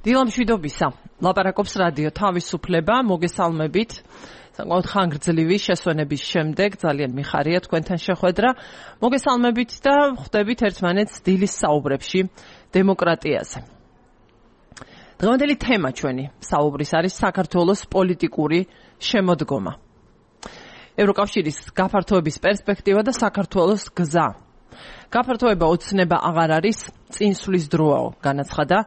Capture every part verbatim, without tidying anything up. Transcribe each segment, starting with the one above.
დილამშვიდობისა. ლაპარაკობს რადიო თავისუფლება, მოგესალმებით. საკმაოდ ხანგრძლივი შესვენების შემდეგ ძალიან მიხარია თქვენთან შეხვედრა. მოგესალმებით და ხვდებით ერთმანეთს დილის საუბრებში დემოკრატიაზე. დღევანდელი თემა ჩვენი საუბრის არის საქართველოს პოლიტიკური შემოდგომა. ევროკავშირის გაფართოების პერსპექტივა და საქართველოს გზა. გაფართოება ოცნება აღარ არის, წინსვლის დროაო, განაცხადა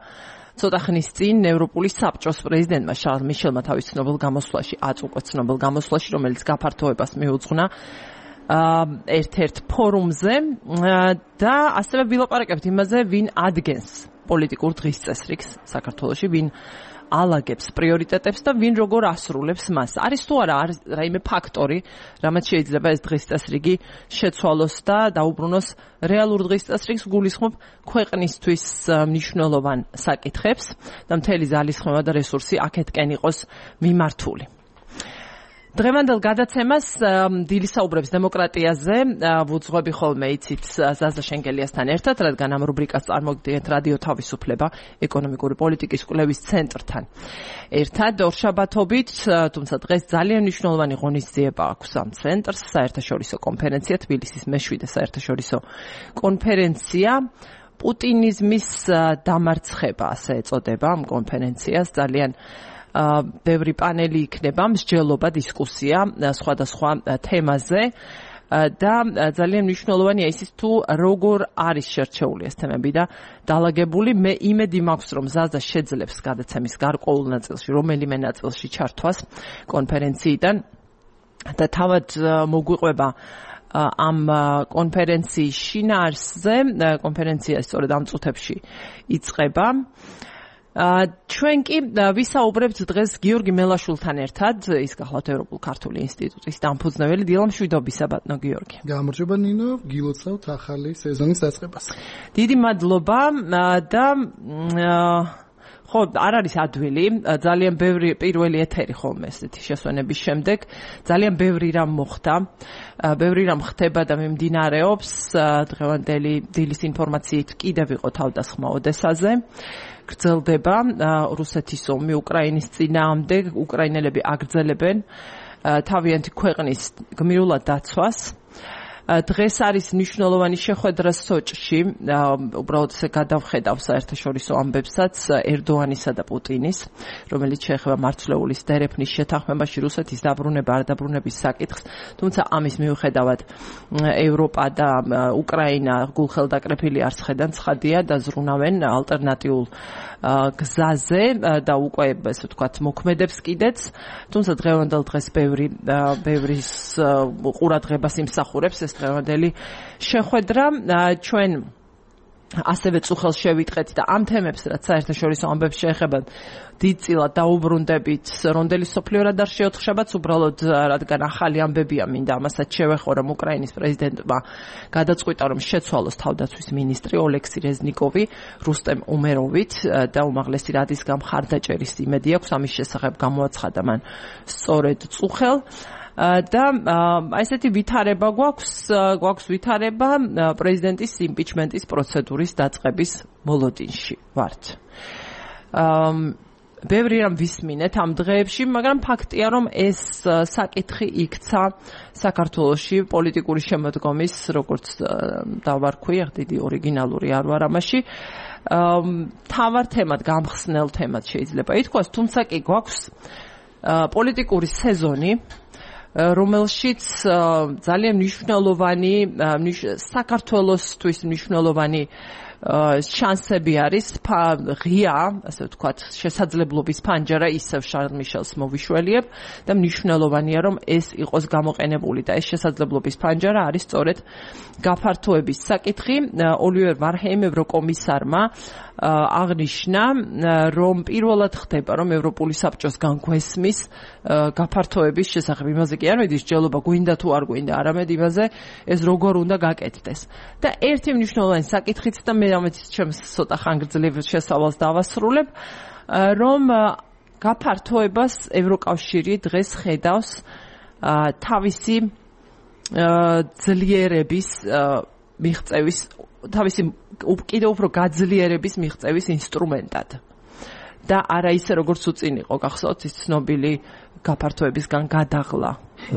ცოტა ხნის წინ ევროპული საბჭოს პრეზიდენტმა შარლ მიშელმა თავის ცნობილ გამოსვლაში, აწუყო ცნობილ გამოსვლაში, რომელიც გაფართოებას მიუძღვნა ერთ-ერთ ფორუმზე და ასევე ვილაპარაკებთ იმაზე, ვინ ადგენს პოლიტიკურ დღის წესრიგს საქართველოში, ვინ ალაგებს პრიორიტეტებს და ვინ როგორ ასრულებს მას. არის თუ არა რაიმე ფაქტორი, რამაც შეიძლება ეს დღის წესრიგი შეცვალოს და დაუბრუნოს რეალურ დღის წესრიგს, გულისხმობ ქვეყნისთვის მნიშვნელოვან საკითხებს და მთელი ძალისხმევა და რესურსი აქეთკენ იყოს მიმართული. დღევანდელ გადაცემას დილის საუბრებს დემოკრატიაზე ვუძღვები ხოლმე იცით ზაზა შენგელიასთან ერთად, რადგან ამ რუბრიკას წარმოგიდგენთ რადიო თავისუფლება ეკონომიკური პოლიტიკის კვლევის ცენტრთან ერთად ორშაბათობით, თუმცა დღეს ძალიან მნიშვნელოვანი ღონისძიება აქვს ამ ცენტრს, საერთაშორისო კონფერენცია, თბილისის მეშვიდე საერთაშორისო კონფერენცია პუტინიზმის დამარცხება, ასე ეწოდება ამ კონფერენციას. ძალიან ბევრი პანელი იქნება, მსჯელობა, დისკუსია სხვადასხვა თემაზე და ძალიან მნიშვნელოვანია ისიც თუ როგორ არის შერჩეული ეს თემები და დალაგებული. მე იმედი მაქვს, რომ ზაზა შეძლებს გადაცემის გარკვეულ ნაწილში, რომელიმე ნაწილში ჩართვას კონფერენციიდან და თავად მოგვიყვება ამ კონფერენციის შინაარსზე. კონფერენცია სწორედ ამ წუთებში იწყება. ჩვენ კი ვისაუბრებთ დღეს გიორგი მელაშვილთან ერთად, ის გახლავთ ევროპულ ქართული ინსტიტუტის დამფუძნებელი. დილამშვიდობისა, ბატონო გიორგი. გამარჯობა ნინო, გილოცავთ ახალი სეზონის დაწყებას. დიდი მადლობა და ხო, არ არის ადვილი, ძალიან ბევრი პირველი ეთერი ხოლმე ესეთი შესვენების შემდეგ, ძალიან ბევრი რამ მოხდა, ბევრი რამ ხდება და მიმდინარეობს. დღევანდელი დილის ინფორმაციით კიდევ იყო თავდასხმა ოდესაზე. გრძელდება რუსეთის ომი უკრაინის წინააღმდეგ, უკრაინელები აგრძელებენ თავიანთი ქვეყნის გმირულად დაცვას. დღეს არის მნიშვნელოვანი შეხვედრა სოჭში, უბრალოდ ესე გადავხედავ საერთაშორისო ამბებსაც ერდოანისა და პუტინის, რომელიც შეეხება მარცვლეულის დერეფნის შეთანხმებაში რუსეთის დაბრუნება არ დაბრუნების საკითხს, თუმცა ამის მიუხედავად ევროპა და უკრაინა გულხელდაკრეფილი არ ცხედან, ცხადია და ზრუნავენ ალტერნატიულ გზაზე და უკვე ესე ვთქვათ მოქმედებს კიდეც, თუმცა დღევანდელ დღეს ბევრი ბევრის ყურადღებას იმსახურებს ეს დღევანდელი შეხვედრა. ჩვენ ასევე წუხელს შევიტყეთ და ამ თემებს, რაც საერთაშორისო ამბებს შეეხება, დიდწილად დაუბრუნდებით რონდელი სოფლიორად არ შეოთხშაბაც, უბრალოდ რადგან ახალი ამბებია, მინდა ამასაც შევეხო, რომ უკრაინის პრეზიდენტმა გადაწყვიტა, რომ შეცვალოს თავდაცვის მინისტრი ოლექსი რეზნიკოვი რუსტემ უმეროვით და უმაღლესი რადის გამხარდაჭერის იმედი აქვს, ამის შესახებ გამოაცხადა მან სწორედ წუხელ. და ესეთი ვითარება გვაქვს, გვაქვს ვითარება პრეზიდენტის იმპიჩმენტის პროცედურის დაწყების მოლოდინში ვართ. ბევრი რამ ვისმინეთ ამ დღეებში, მაგრამ ფაქტია, რომ ეს საკითხი იქცა საქართველოში პოლიტიკური შემოდგომის, როგორც დავარქვი, დიდი ორიგინალური არ ვარ ამაში, თავარ თემად, გამხსნელ თემად შეიძლება ითქვას, თუმცა კი გვაქვს პოლიტიკური სეზონი, რომელშიც ძალიან მნიშვნელოვანი საქართველოსთვის მნიშვნელოვანი შანსები არის, ღია, ასე ვთქვათ, შესაძლებლობის ფანჯარა ისევ შარლ მიშელს მოვიშველიებ და მნიშვნელოვანია, რომ ეს იყოს გამოყენებული და ეს შესაძლებლობის ფანჯარა არის სწორედ გაფართოების საკითხი. ოლივერ ვარჰეიმ ევროკომისარმა აღნიშნა, რომ პირველად ხდება, რომ ევროპული საბჭოს განგვესმის გაფართოების შესახებ. იმაზე კი არ მედის ჯელობა გვინდა თუ არ გვინდა, არამედ იმაზე ეს როგორ უნდა გაკეთდეს. და ერთი მნიშვნელოვანი საკითხიც და მე ამით ჩემს ცოტა ხანგრძლივ შესავალს დავასრულებ, რომ გაფართოებას ევროკავშირი დღეს ხედავს თავისი ძლიერების მიღწევის თავისი კიდევ უფრო გაძლიერების მიღწევის ინსტრუმენტად. და არა ისე როგორც უწინ იყო გახსოვთ ის ცნობილი გაფართოებისგან გადაღლა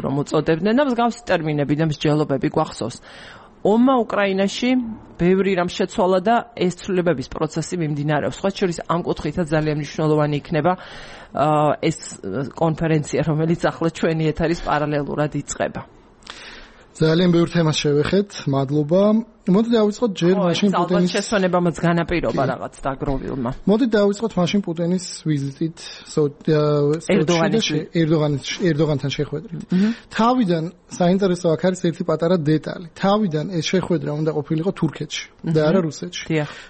რომ უწოდებდნენ და მსგავსი ტერმინები და მსჯელობები გვახსოვს. ომმა უკრაინაში ბევრი რამ შეცვალა და ეს ცვლილებების პროცესი მიმდინარეობს. სხვა შორის ამ კუთხითაც ძალიან მნიშვნელოვანი იქნება ეს კონფერენცია, რომელიც ახლა ჩვენი ეთერის პარალელურად იწყება. ძალიან ბევრ თემას შევეხეთ. მადლობა. მოდი დავიწყოთ ჯერ მაშინ პუტინის შესვენებამაც განაპირობა რაღაც დაგროვილმა. მოდი დავიწყოთ მაშინ პუტინის ვიზიტით ერდოღანის ერდოღანთან შეხვედრით. თავიდან საინტერესო აქ არის ერთი პატარა დეტალი. თავიდან ეს შეხვედრა უნდა ყოფილიყო თურქეთში და არა რუსეთში.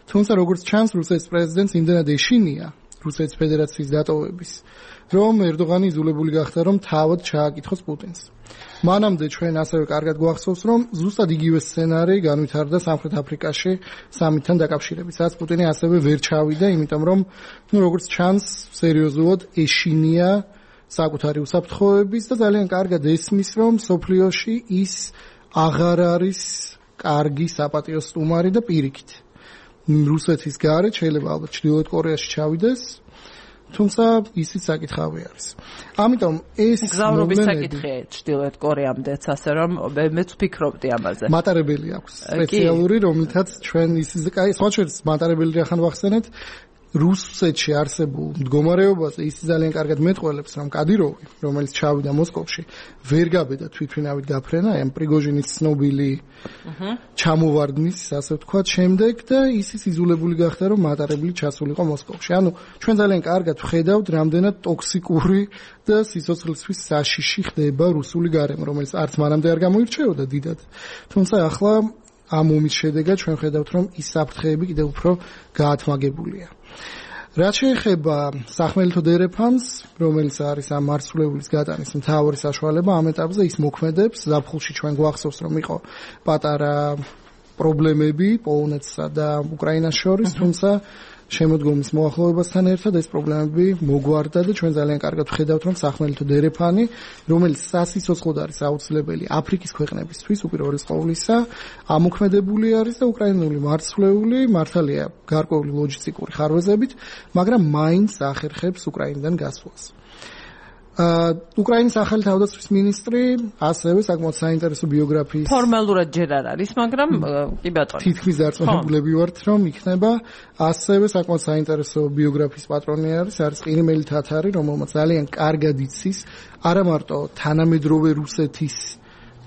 თუმცა როგორც ჩანს, რუსეთის პრეზიდენტს იმდენად ეშინია რუსეთის ფედერაციის დატოვების, რომ ერდოღანი იძულებული გახდა, რომ თავად ჩააკითხოს პუტინს. მანამდე ჩვენ ასევე კარგად გვახსოვს, რომ ზუსტად იგივე სცენარი განვითარდა სამხრეთ აფრიკაში სამიტთან დაკავშირებით, სადაც პუტინი ასევე ვერ ჩავიდა, იმიტომ რომ, ну, როგორც ჩანს, სერიოზულად ეშინია საკუთარი უსაფრთხოების და ძალიან კარგად ესმის, რომ სოფლიოში ის აღარ არის კარგი საპატიო სტუმარი და პირიქით. რუსეთის გარეთ შეიძლება ალბათ ჩრდილოეთ კორეაში ჩავიდეს, თუმცა ისიც საკითხავი არის. ამიტომ ეს გზავრობის საკითხია ჩრდილოეთ კორეამდეც, ასე რომ მეც ვფიქრობდი ამაზე. მატარებელი აქვს სპეციალური, რომლითაც ჩვენ ისიც კაი, სხვა შორის მატარებელი რახან ვახსენეთ, რუსეთში არსებულ მდგომარეობაზე ის ძალიან კარგად მეტყველებს, რომ კადიროვი, რომელიც ჩავიდა მოსკოვში, ვერ გაბედა თვითმფრინავით გაფრენა, აი ამ პრიგოჟინის ცნობილი ჩამოვარდნის, ასე ვთქვათ, შემდეგ და ისიც იძულებული გახდა, რომ მატარებელი ჩასულიყო მოსკოვში. ანუ ჩვენ ძალიან კარგად ვხედავთ, რამდენად ტოქსიკური და სიცოცხლისთვის საშიში ხდება რუსული გარემო, რომელიც არც მანამდე არ გამოირჩეოდა დიდად. თუმცა ახლა ამ ომის შედეგად ჩვენ ხედავთ, რომ ის საფრთხეები კიდევ უფრო გაათმაგებულია. რაც შეეხება სახმელეთო დერეფანს, რომელიც არის ამ მარცვლეულის გატანის მთავარი საშუალება ამ ეტაპზე, ის მოქმედებს. ზაფხულში ჩვენ გვახსოვს, რომ იყო პატარა პრობლემები პოლონეთსა და უკრაინას შორის, თუმცა შემოდგომის მოახლოებასთან ერთად ეს პრობლემები მოგვარდა და ჩვენ ძალიან კარგად ვხედავთ, რომ სახმელეთო დერეფანი, რომელიც სასიცოცხლოდ არის აუცილებელი აფრიკის ქვეყნებისთვის, უპირველეს ყოვლისა, ამოქმედებული არის და უკრაინული მარცვლეული მართალია გარკვეული ლოჯისტიკური ხარვეზებით, მაგრამ მაინც ახერხებს უკრაინიდან გასვლას. უკრაინის ახალი თავდაცვის მინისტრი ასევე საკმაოდ საინტერესო ბიოგრაფიის ფორმალურად ჯერ არ არის, მაგრამ კი ბატონო. თითქმის დარწმუნებული ვართ, რომ იქნება ასევე საკმაოდ საინტერესო ბიოგრაფიის პატრონი არის, არის ყირიმელი თათარი, რომელმაც ძალიან კარგად იცის არა მარტო თანამედროვე რუსეთის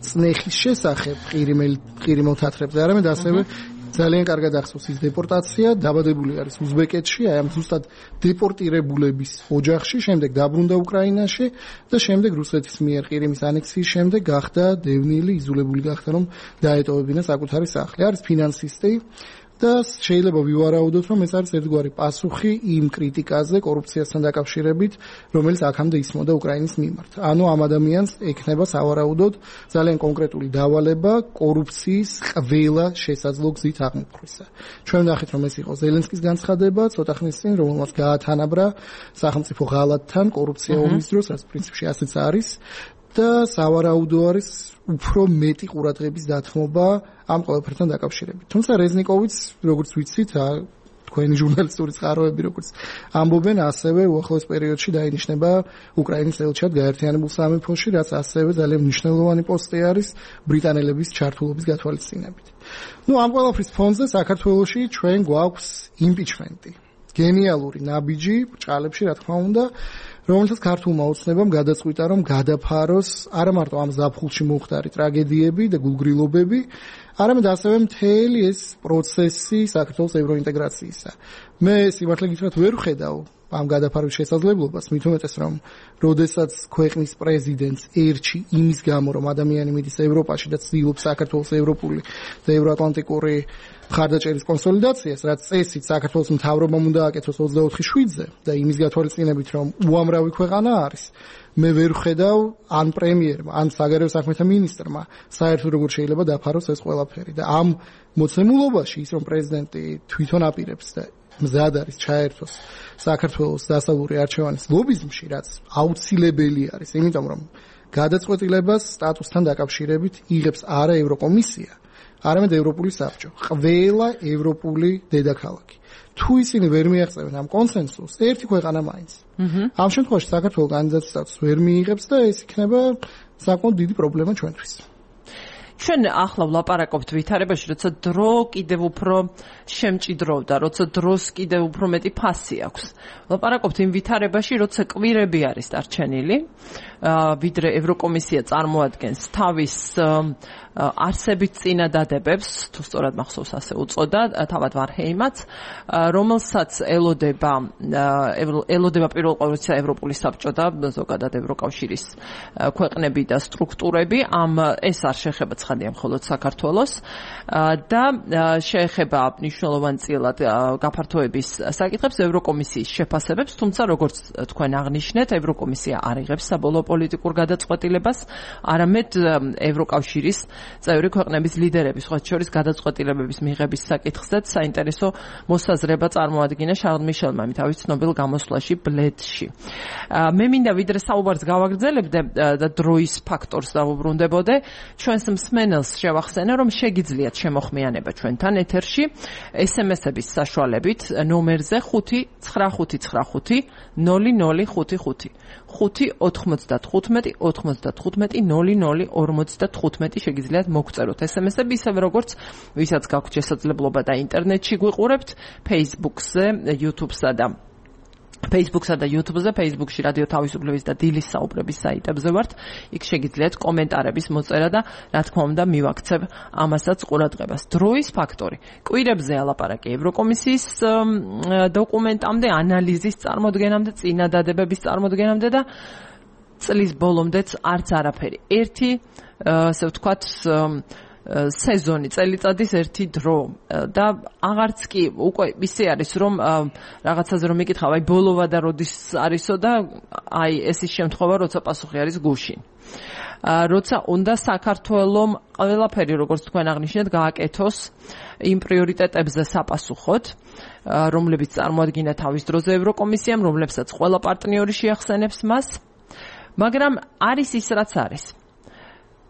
წნეხის შესახებ ყირიმელ ყირიმელ თათრებზე, არამედ ასევე ძალიან კარგად ახსოვს ის დეპორტაცია, დაბადებული არის უზბეკეთში, აი ამ ზუსტად დეპორტირებულების ოჯახში, შემდეგ დაბრუნდა უკრაინაში და შემდეგ რუსეთის მიერ ყირიმის ანექსიის შემდეგ გახდა დევნილი, იძულებული გახდა რომ დაეტოვებინა საკუთარი სახლი. არის ფინანსისტი და შეიძლება ვივარაუდოთ, რომ ეს არის ერთგვარი პასუხი იმ კრიტიკაზე კორუფციასთან დაკავშირებით, რომელიც აქამდე ისმოდა უკრაინის მიმართ. ანუ ამ ადამიანს ექნება სავარაუდოდ ძალიან კონკრეტული დავალება კორუფციის ყველა შესაძლო გზით აღმოფხვისა. ჩვენ ვნახეთ, რომ ეს იყო ზელენსკის განცხადება ცოტა ხნის წინ, რომელმაც გაათანაბრა სახელმწიფო ღალატთან კორუფცია ომის დროს, რაც პრინციპში ასეც არის. და სავარაუდო არის უფრო მეტი ყურადღების დათმობა ამ ყველაფერთან დაკავშირებით. თუმცა რეზნიკოვიც, როგორც ვიცით, თქვენი ჟურნალისტური წყაროები, როგორც ამბობენ, ასევე უახლოეს პერიოდში დაინიშნება უკრაინის ელჩად გაერთიანებულ სამეფოში, რაც ასევე ძალიან მნიშვნელოვანი პოსტი არის ბრიტანელების ჩართულობის გათვალისწინებით. ნუ ამ ყველაფრის ფონზე საქართველოში ჩვენ გვაქვს იმპიჩმენტი. გენიალური ნაბიჯი ბრჭყალებში, რა თქმა უნდა, რომელთაც ქართულმა ოცნებამ გადაწყვიტა, რომ გადაფაროს არა მარტო ამ ზაფხულში მომხდარი ტრაგედიები და გულგრილობები, არამედ ასევე მთელი ეს პროცესი საქართველოს ევროინტეგრაციისა. მე სიმართლე გითხრათ ვერ ვხედავ ამ გადაფარვის შესაძლებლობას, მით უმეტეს რომ როდესაც ქვეყნის პრეზიდენტს ერჩი იმის გამო, რომ ადამიანი მიდის ევროპაში და ცდილობს საქართველოს ევროპული და ევროატლანტიკური მხარდაჭერის კონსოლიდაციას, რაც წესით საქართველოს მთავრობამ უნდა აკეთოს ოცდაოთხი შვიდზე და იმის გათვალისწინებით, რომ უამრავი ქვეყანა არის. მე ვერ ვხედავ ან პრემიერმა, ან საგარეო საქმეთა მინისტრმა საერთოდ როგორ შეიძლება დაფაროს ეს ყველაფერი და ამ მოცემულობაში ის რომ პრეზიდენტი თვითონ აპირებს და მზად არის ჩაერთოს საქართველოს დასავლური არჩევანის ლობიზმში, რაც აუცილებელი არის, იმიტომ რომ გადაწყვეტილებას სტატუსთან დაკავშირებით იღებს არა ევროკომისია, არამედ ევროპული საბჭო, ყველა ევროპული დედაქალაქი. თუ ისინი ვერ მიაღწევენ ამ კონსენსუსს, ერთი ქვეყანა მაინც. ამ შემთხვევაში საქართველოს კანდიდატის სტატუსს ვერ მიიღებს და ეს იქნება საკმაოდ დიდი პრობლემა ჩვენთვის. ჩვენ ახლა ვლაპარაკობთ ვითარებაში, როცა დრო კიდევ უფრო შემჭიდროვდა, როცა დროს კიდევ უფრო მეტი ფასი აქვს. ვლაპარაკობთ იმ ვითარებაში, როცა კვირები არის დარჩენილი, ვიდრე ევროკომისია წარმოადგენს თავის არსებით წინადადებებს, თუ სწორად მახსოვს ასე უწოდა, თავად ვარჰეიმაც, რომელსაც ელოდება ელოდება პირველ ყოვლისა ევროპული საბჭო და ზოგადად ევროკავშირის ქვეყნები და სტრუქტურები, ამ ეს არ შეეხება ცხადია მხოლოდ საქართველოს და შეეხება მნიშვნელოვანწილად გაფართოების საკითხებს ევროკომისიის შეფასებებს, თუმცა როგორც თქვენ აღნიშნეთ, ევროკომისია არ იღებს საბოლოო პოლიტიკურ გადაწყვეტილებას, არამედ ევროკავშირის წევრი ქვეყნების ლიდერების, სხვა შორის გადაწყვეტილებების მიღების საკითხზეც საინტერესო მოსაზრება წარმოადგინა შარლ მიშელმა თავის ცნობილ გამოსვლაში ბლედში. მე მინდა ვიდრე საუბარს გავაგრძელებდე და დროის ფაქტორს დავუბრუნდებოდე, ჩვენს მსმენელს შევახსენე, რომ შეგიძლიათ შემოხმიანება ჩვენთან ეთერში ეს ემ ესების საშუალებით ნომერზე ხუთი ცხრა ხუთი ცხრა ხუთი ნული ნული ხუთი ხუთი ხუთი ოთხმოცდათხუთმეტი ოთხმოცდათხუთმეტი ნული ნული ორმოცდათხუთმეტი შეგიძლიათ მოგწეროთ ეს ემ ესები, ისევე როგორც ვისაც გაქვთ შესაძლებლობა და ინტერნეტში გვიყურებთ, Facebook-ზე, YouTube-სა და Facebook-სა და YouTube-ზე, Facebook-ში რადიო თავისუფლების და დილის საუბრების საიტებზე ვართ. იქ შეგიძლიათ კომენტარების მოწერა და რა თქმა უნდა მივაქცევ ამასაც ყურადღებას. დროის ფაქტორი. კვირებზე ალაპარაკი ევროკომისიის დოკუმენტამდე, ანალიზის წარმოდგენამდე, წინადადებების წარმოდგენამდე და წლის ბოლომდეც არც არაფერი. ერთი, ასე ვთქვათ, სეზონი, წელიწადის ერთი დრო და აღარც კი უკვე ისე არის, რომ რაღაცაზე რომ მიკითხავ, აი ბოლოვა და როდის არისო და აი ეს ის შემთხვევა, როცა პასუხი არის გუშინ. როცა უნდა საქართველოს ყველაფერი, როგორც თქვენ აღნიშნეთ, გააკეთოს იმ პრიორიტეტებზე საპასუხოდ, რომლებიც წარმოადგინა თავის დროზე ევროკომისიამ, რომლებსაც ყველა პარტნიორი შეახსენებს მას, მაგრამ არის ის, რაც არის.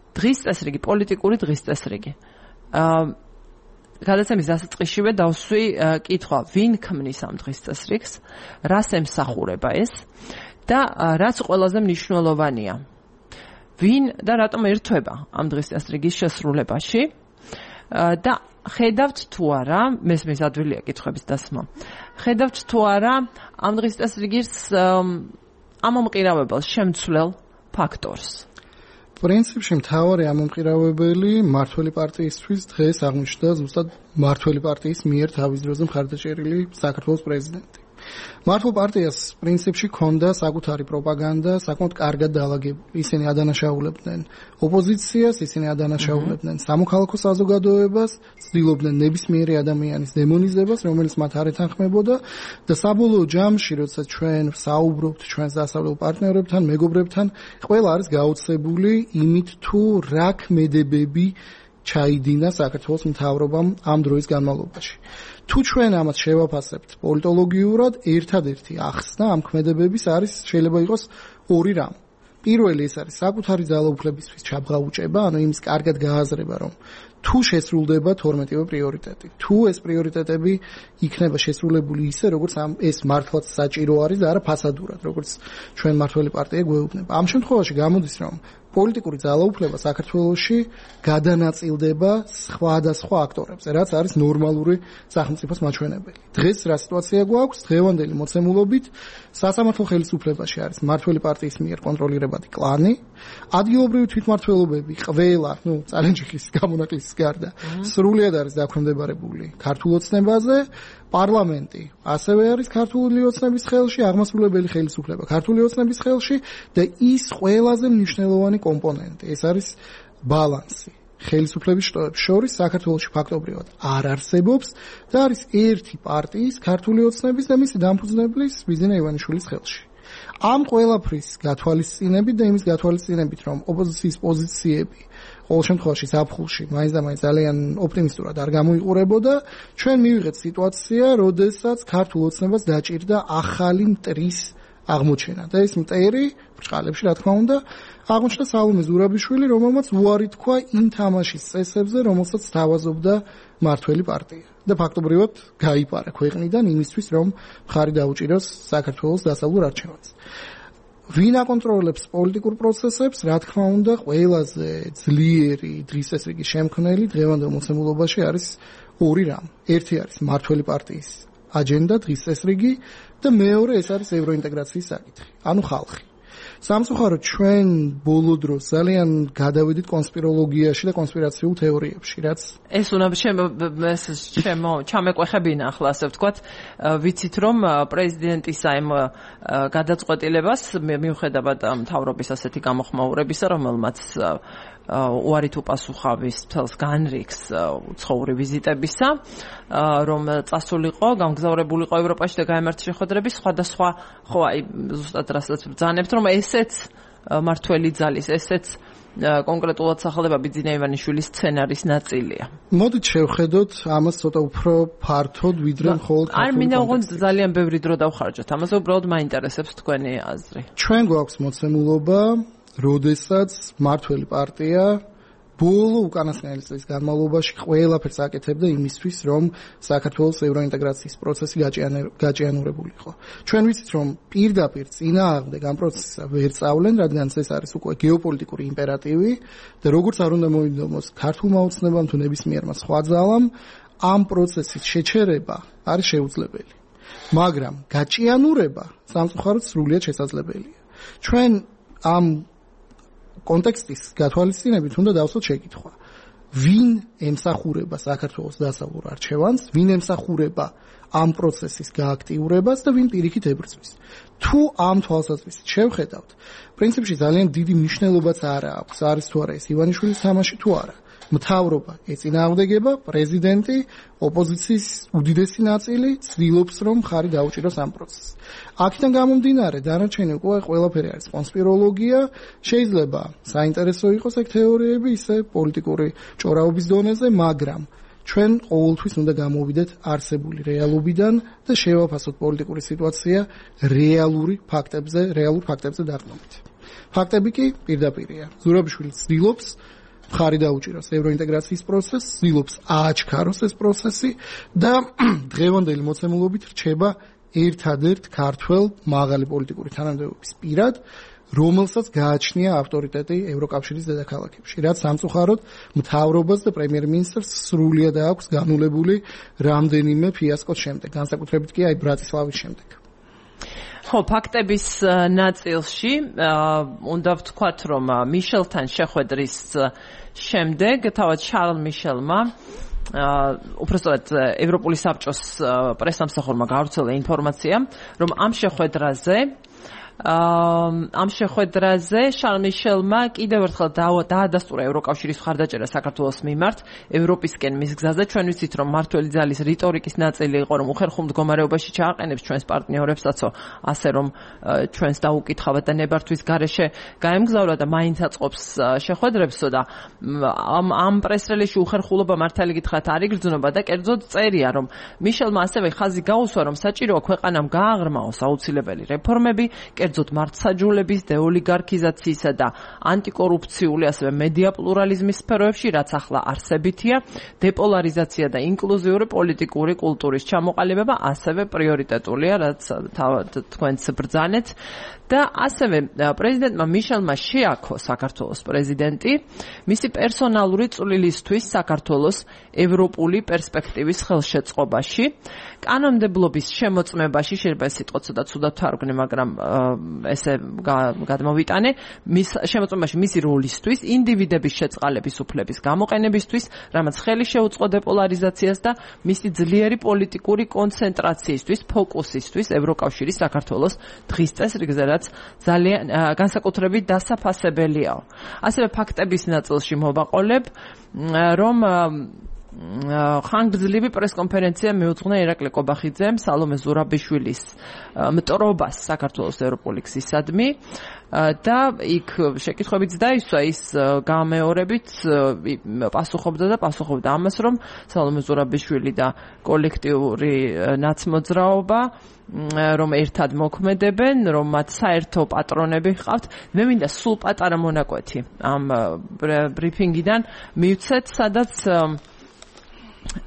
დღის წესრიგი, პოლიტიკური დღის წესრიგი. გადაცემის დასაწყისშივე დავსვი კითხვა, ვინ ქმნის ამ დღის წესრიგს, რას ემსახურება ეს და რაც ყველაზე მნიშვნელოვანია. ვინ და რატომ ერთვება ამ დღის წესრიგის შესრულებაში და ხედავთ თუ არა, მესმის ადვილია კითხვების დასმა, ხედავთ თუ არა ამ დღის წესრიგის ამომყირავებელ შემცვლელ ფაქტორს. პრინციპში მთავარი ამომყირავებელი მმართველი პარტიისთვის დღეს აღმოჩნდა ზუსტად მმართველი პარტიის მიერ თავის დროზე მხარდაჭერილი საქართველოს პრეზიდენტი. მმართველ პარტიას პრინციპში ჰქონდა საკუთარი პროპაგანდა, საკმაოდ კარგად დაალაგებული. ისინი ადანაშაულებდნენ ოპოზიციას, ისინი ადანაშაულებდნენ სამოქალაქო საზოგადოებას, ცდილობდნენ ნებისმიერი ადამიანის დემონიზებას, რომელიც მათ არ ეთანხმებოდა და საბოლოო ჯამში, როცა ჩვენ საუბრობთ ჩვენს დასავლელ პარტნიორებთან, მეგობრებთან, ყველა არის გაოცებული იმით, თუ რა ქმედებები ჩაიდინა საქართველოს მთავრობამ ამ დროის განმავლობაში. თუ ჩვენ ამას შევაფასებთ პოლიტოლოგიურად, ერთადერთი ახსნა ამ ქმედებების არის შეიძლება იყოს ორი რამ. პირველი ეს არის საკუთარი ძალაუფლებისთვის ჩაბღაუჭება, ანუ იმის კარგად გააზრება, რომ თუ შესრულდება თორმეტივე პრიორიტეტი, თუ ეს პრიორიტეტები იქნება შესრულებული ისე, როგორც ამ ეს მართლაც საჭირო არის და არა ფასადურად, როგორც ჩვენ მმართველი პარტია გვეუბნება. ამ შემთხვევაში გამოდის, რომ პოლიტიკური ძალაუფლება საქართველოში გადანაწილდება სხვადასხვა აქტორებზე, რაც არის ნორმალური სახელმწიფოს მაჩვენებელი. დღეს რა სიტუაცია გვაქვს? დღევანდელი მოცემულობით სასამართლო ხელისუფლებაში არის მმართველი პარტიის მიერ კონტროლირებადი კლანი, ადგილობრივი თვითმმართველობები ყველა, ну, წალენჯიხის გამონაკლისის გარდა, სრულად არის დაქვემდებარებული ქართულ ოცნებაზე, პარლამენტი ასევე არის ქართული ოცნების ხელში, აღმასრულებელი ხელისუფლება ქართული ოცნების ხელში და ის ყველაზე მნიშვნელოვანი კომპონენტი, ეს არის ბალანსი. ხელისუფლების შტოებს შორის საქართველოში ფაქტობრივად არ არსებობს და არის ერთი პარტიის ქართული ოცნების და მისი დამფუძნებლის ბიზნე ივანიშვილის ხელში. ამ ყველაფრის გათვალისწინებით და იმის გათვალისწინებით, რომ ოპოზიციის პოზიციები ყოველ შემთხვევაში ზაფხულში მაინც და მაინც ძალიან ოპტიმისტურად არ გამოიყურებოდა, ჩვენ მივიღეთ სიტუაცია, როდესაც ქართულ ოცნებას დაჭირდა ახალი მტრის აღმოჩენა და ეს მტერი ბრჭყალებში რა თქმა უნდა აღმოჩნდა სალომე ზურაბიშვილი, რომელმაც უარი თქვა იმ თამაშის წესებზე, რომელსაც თავაზობდა მართველი პარტია. და ფაქტობრივად გაიპარა ქვეყნიდან იმისთვის, რომ მხარი დაუჭიროს საქართველოს დასავლურ არჩევანს. ვინ აკონტროლებს პოლიტიკურ პროცესებს, რა თქმა უნდა, ყველაზე ძლიერი დღის წესრიგის შემქმნელი დღევანდელ მოცემულობაში არის ორი რამ. ერთი არის მართველი პარტიის აჯენდა, დღის წესრიგი და მეორე ეს არის ევროინტეგრაციის საკითხი, ანუ ხალხი. სამწუხაროდ ჩვენ ბოლო დროს ძალიან გადავედით კონსპიროლოგიაში და კონსპირაციულ თეორიებში, რაც ეს უნდა ჩემო ჩამეყვეხებინა ახლა ასე ვთქვათ, ვიცით რომ პრეზიდენტის აი გადაწყვეტილებას მიუხედავად მთავრობის ასეთი გამოხმაურებისა, რომელმაც უარით უპასუხავის თელს განრიგს უცხოური ვიზიტებისა, რომ წასულიყო, გამგზავრებულიყო ევროპაში და გაემართა შეხვედრების სხვადასხვა, ხო აი ზუსტად რასაც ბრძანებთ, რომ ესეც მართველი ძალის, ესეც კონკრეტულად სახელდება ბიძინა ივანიშვილის სცენარის ნაწილია. მოდით შევხედოთ ამას ცოტა უფრო ფართოდ, ვიდრე მხოლოდ ქართული. არ მინდა უგონ ძალიან ბევრი დრო დავხარჯოთ. ამაზე უბრალოდ მაინტერესებს თქვენი აზრი. ჩვენ გვაქვს მოცემულობა, როდესაც მართველი პარტია ბოლო უკანასკნელი წლის განმავლობაში ყველაფერს აკეთებდა იმისთვის, რომ საქართველოს ევროინტეგრაციის პროცესი გაჭიანურებულიყო. ჩვენ ვიცით, რომ პირდაპირ წინააღმდეგ ამ პროცესსა ვერ წავლენ, რადგან ეს არის უკვე გეოპოლიტიკური იმპერატივი და როგორც არ უნდა მოინდომოს ქართულმა ოცნებამ თუ ნებისმიერმა სხვა ძალამ, ამ პროცესის შეჩერება არის შეუძლებელი. მაგრამ გაჭიანურება სამწუხაროდ სრულიად შესაძლებელია. ჩვენ ამ კონტექსტის გათვალისწინებით უნდა დავსვათ შეკითხვა. ვინ ემსახურება საქართველოს დასავლურ არჩევანს, ვინ ემსახურება ამ პროცესის გააქტიურებას და ვინ პირიქით ებრძვის. თუ ამ თვალსაზრისით შევხედავთ, პრინციპში ძალიან დიდი მნიშვნელობაც არ აქვს, არის თუ არა ეს ივანიშვილის თამაში თუ არა. მთავრობა ეწინააღმდეგება, პრეზიდენტი, ოპოზიციის უდიდესი ნაწილი ცდილობს, რომ მხარი დაუჭიროს ამ პროცესს. აქედან გამომდინარე, დანარჩენი უკვე ყველაფერი არის კონსპიროლოგია, შეიძლება საინტერესო იყოს ეგ თეორიები, ისე პოლიტიკური ჭორაობის დონეზე, მაგრამ ჩვენ ყოველთვის უნდა გამოვიდეთ არსებული რეალობიდან და შევაფასოთ პოლიტიკური სიტუაცია რეალური ფაქტებზე, რეალურ ფაქტებზე დაყრდნობით. ფაქტები კი პირდაპირია. ზურაბიშვილი ცდილობს მხარი დაუჭიროს ევროინტეგრაციის პროცესს, ცდილობს ააჩქაროს ეს პროცესი და დღევანდელი მოცემულობით რჩება ერთადერთ ქართველ მაღალი პოლიტიკური თანამდებობის პირად, რომელსაც გააჩნია ავტორიტეტი ევროკავშირის დედაქალაქებში, რაც სამწუხაროდ მთავრობას და პრემიერ-მინისტრს სრულიად აქვს განულებული რამდენიმე ფიასკოს შემდეგ, განსაკუთრებით კი აი ბრატისლავის შემდეგ. ხო, ფაქტების ნაწილში უნდა ვთქვათ, რომ მიშელთან შეხვედრის შემდეგ თავად შარლ მიშელმა უბრალოდ ევროპული საბჭოს პრესამსახურმა გავრცელა ინფორმაცია, რომ ამ შეხვედრაზე ამ შეხვედრაზე შარლ მიშელმა კიდევ ერთხელ დაადასტურა ევროკავშირის მხარდაჭერა საქართველოს მიმართ ევროპისკენ მის გზაზე. ჩვენ ვიცით, რომ მართველი ძალის რიტორიკის ნაწილი იყო, რომ უხერხულ მდგომარეობაში ჩააყენებს ჩვენს პარტნიორებსაცო, ასე რომ ჩვენს დაუკითხავად და ნებართვის გარეშე გაემგზავრა და მაინც აწყობს შეხვედრებსო და ამ ამ პრესრელისში უხერხულობა მართალი გითხრათ არ იგრძნობა და კერძოდ წერია, რომ მიშელმა ასევე ხაზი გაუსვა, რომ საჭიროა ქვეყანამ გააღრმაოს აუცილებელი რეფორმები, კერძოდ მართლმსაჯულების, დეოლიგარქიზაციისა და ანტიკორუფციული, ასევე მედია პლურალიზმის სფეროებში, რაც ახლა არსებითია, დეპოლარიზაცია და ინკლუზიური პოლიტიკური კულტურის ჩამოყალიბება ასევე პრიორიტეტულია, რაც თქვენც ბრძანეთ. და ასევე პრეზიდენტმა მიშელმა შეაქო საქართველოს პრეზიდენტი მისი პერსონალური წვლილისთვის საქართველოს ევროპული პერსპექტივის ხელშეწყობაში. კანონმდებლობის შემოწმებაში შეიძლება სიტყვა ცოტა ცუდად თარგმნე, მაგრამ ესე გადმოვიტანე, მის შემოწმებაში მისი როლისთვის, ინდივიდების შეწყალების უფლების გამოყენებისთვის, რამაც ხელი შეუწყო დეპოლარიზაციას და მისი ძლიერი პოლიტიკური კონცენტრაციისთვის, ფოკუსისთვის ევროკავშირის საქართველოს დღის წესრიგზე, ძალიან განსაკუთრებით დასაფასებელიაო. ასევე ფაქტების ნაწილში მოვაყოლებ, რომ ხანგრძლივი პრესკონფერენცია მიუძღვნა ირაკლი კობახიძემ სალომე ზურაბიშვილის მტრობას საქართველოს ევროპული გზისადმი და იქ შეკითხვებიც დაისვა ის გამეორებით პასუხობდა და პასუხობდა ამას, რომ სალომე ზურაბიშვილი და კოლექტიური ნაცმოძრაობა რომ ერთად მოქმედებენ, რომ მათ საერთო პატრონები ჰყავთ. მე მინდა სულ პატარა მონაკვეთი ამ ბრიფინგიდან მივცეთ, სადაც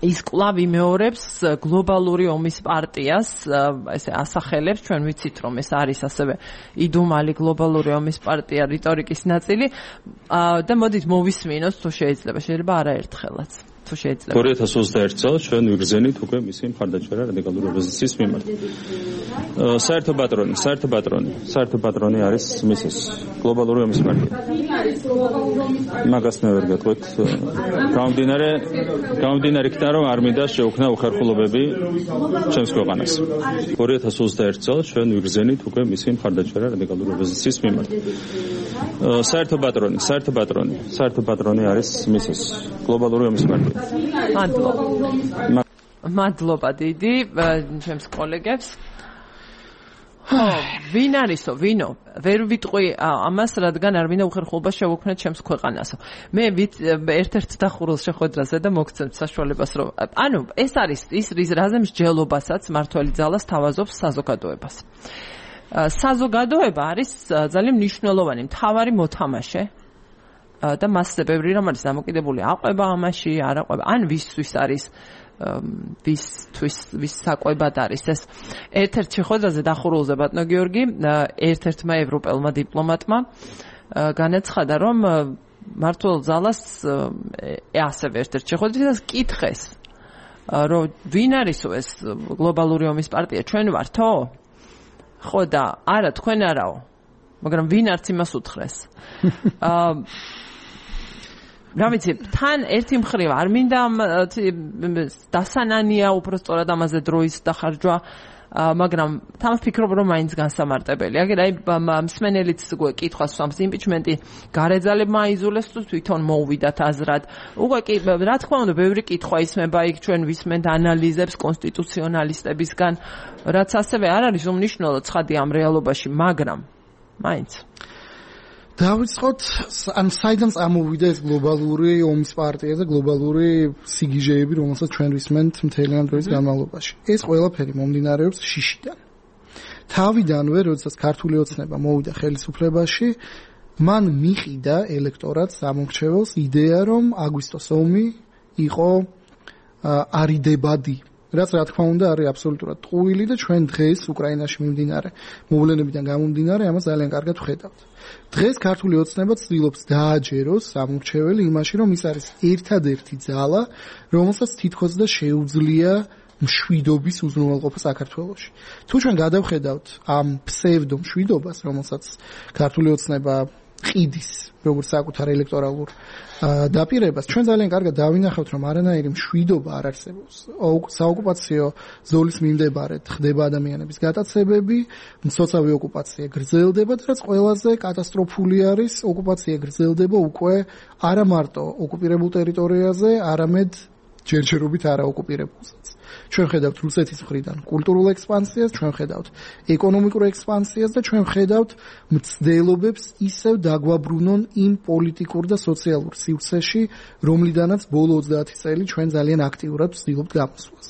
ის კვლავ იმეორებს გლობალური ომის პარტიას, ესე ასახელებს, ჩვენ ვიცით, რომ ეს არის ასევე იდუმალი გლობალური ომის პარტია რიტორიკის ნაწილი და მოდით მოვისმინოთ, თუ შეიძლება, შეიძლება არაერთხელაც. თუ შეიძლება. ორი ათას ოცდაერთი წელს ჩვენ ვიგრძენით უკვე მისი მხარდაჭერა რადიკალური ოპოზიციის მიმართ. საერთო პატრონი, საერთო პატრონი, საერთო პატრონი არის მისის გლობალური ომის პარტია. მაგას მე ვერ გეტყვით. გამომდინარე, გამომდინარე იქიდან, რომ არ მინდა შეუქმნა უხერხულობები ჩემს ქვეყანას. ორი ათას ოცდაერთი წელს ჩვენ ვიგრძენით უკვე მისი მხარდაჭერა რადიკალური ოპოზიციის მიმართ. საერთო პატრონი, საერთო პატრონი, საერთო პატრონი არის მისის გლობალური ომის პარტია. მადლობა. მადლობა დიდი ჩემს კოლეგებს. ხო, ვინ არისო, ვინო? ვერ ვიტყვი ამას, რადგან არ მინდა უხერხულობა შევუქმნათ ჩემს ქვეყანასო. მე ერთ-ერთ დახურულს შეხვედრაზე და მოგცემთ საშუალებას, რომ ანუ ეს არის ის რაზე მსჯელობასაც მართველი ძალა სთავაზობს საზოგადოებას. საზოგადოება არის ძალიან მნიშვნელოვანი მთავარი მოთამაშე და მასზე ბევრი რამ არის დამოკიდებული აყვება ამაში, არ აყვება, ან ვისთვის არის ვისთვის ვის საყვებად არის ეს. ერთ-ერთ შეხვედრაზე დახურულზე ბატონო გიორგი ერთ-ერთმა ევროპელმა დიპლომატმა განაცხადა, რომ მმართველ ძალას ასევე ერთ-ერთ შეხვედრაზე კითხეს, რომ ვინ არისო ეს გლობალური ომის პარტია, ჩვენ ვართო? ხო და არა, თქვენ არაო, მაგრამ ვინ არც იმას უთხრეს. რა ვიცი, თან ერთი მხრივ არ მინდა დასანანია უბრალოდ ამაზე დროის დახარჯვა, მაგრამ თან ვფიქრობ, რომ მაინც განსამარტებელი. აგერ აი მსმენელიც კითხვას სვამს, იმპიჩმენტი გარეძალებმა აიზულეს თუ თვითონ მოუვიდათ აზრად. უკვე კი რა თქმა უნდა, ბევრი კითხვა ისმება იქ, ჩვენ ვისმენთ ანალიზებს კონსტიტუციონალისტებისგან, რაც ასევე არ არის უმნიშვნელო ცხადი ამ რეალობაში, მაგრამ მაინც დავიწყოთ, ან საიდან წამოვიდა ეს გლობალური ომის პარტია და გლობალური სიგიჟეები, რომელსაც ჩვენ ვისმენთ მთელი ამ დროის განმავლობაში. ეს ყველაფერი მომდინარეობს შიშიდან. თავიდანვე, როდესაც ქართული ოცნება მოვიდა ხელისუფლებაში, მან მიყიდა ელექტორატს ამორჩეველს იდეა, რომ აგვისტოს ომი იყო არიდებადი. რაც რა თქმა უნდა არის აბსოლუტურად ტყუილი და ჩვენ დღეს უკრაინაში მიმდინარე მოვლენებიდან გამომდინარე ამას ძალიან კარგად ვხედავთ. დღეს ქართული ოცნება ცდილობს დააჯეროს ამორჩეველი იმაში, რომ ის არის ერთადერთი ძალა, რომელსაც თითქოს და შეუძლია მშვიდობის უზრუნველყოფა საქართველოში. თუ ჩვენ გადავხედავთ ამ ფსევდო მშვიდობას, რომელსაც ქართული ოცნება ყიდის როგორც საკუთარ ელექტორალურ დაპირებას, ჩვენ ძალიან კარგად დავინახავთ, რომ არანაირი მშვიდობა არ არსებობს. საოკუპაციო ზოლის მიმდებარედ ხდება ადამიანების გატაცებები, მცოცავი ოკუპაცია გრძელდება და რაც ყველაზე კატასტროფული არის, ოკუპაცია გრძელდება უკვე არა მარტო ოკუპირებულ ტერიტორიაზე, არამედ ჯერჯერობით არაოკუპირებულსაც. ჩვენ ხედავთ რუსეთის მხრიდან კულტურულ ექსპანსიას, ჩვენ ხედავთ ეკონომიკურ ექსპანსიას და ჩვენ ხედავთ მცდელობებს ისევ დაგვაბრუნონ იმ პოლიტიკურ და სოციალურ სივრცეში, რომლიდანაც ბოლო ოცდაათი წელი ჩვენ ძალიან აქტიურად ვცდილობთ გამოსვლას.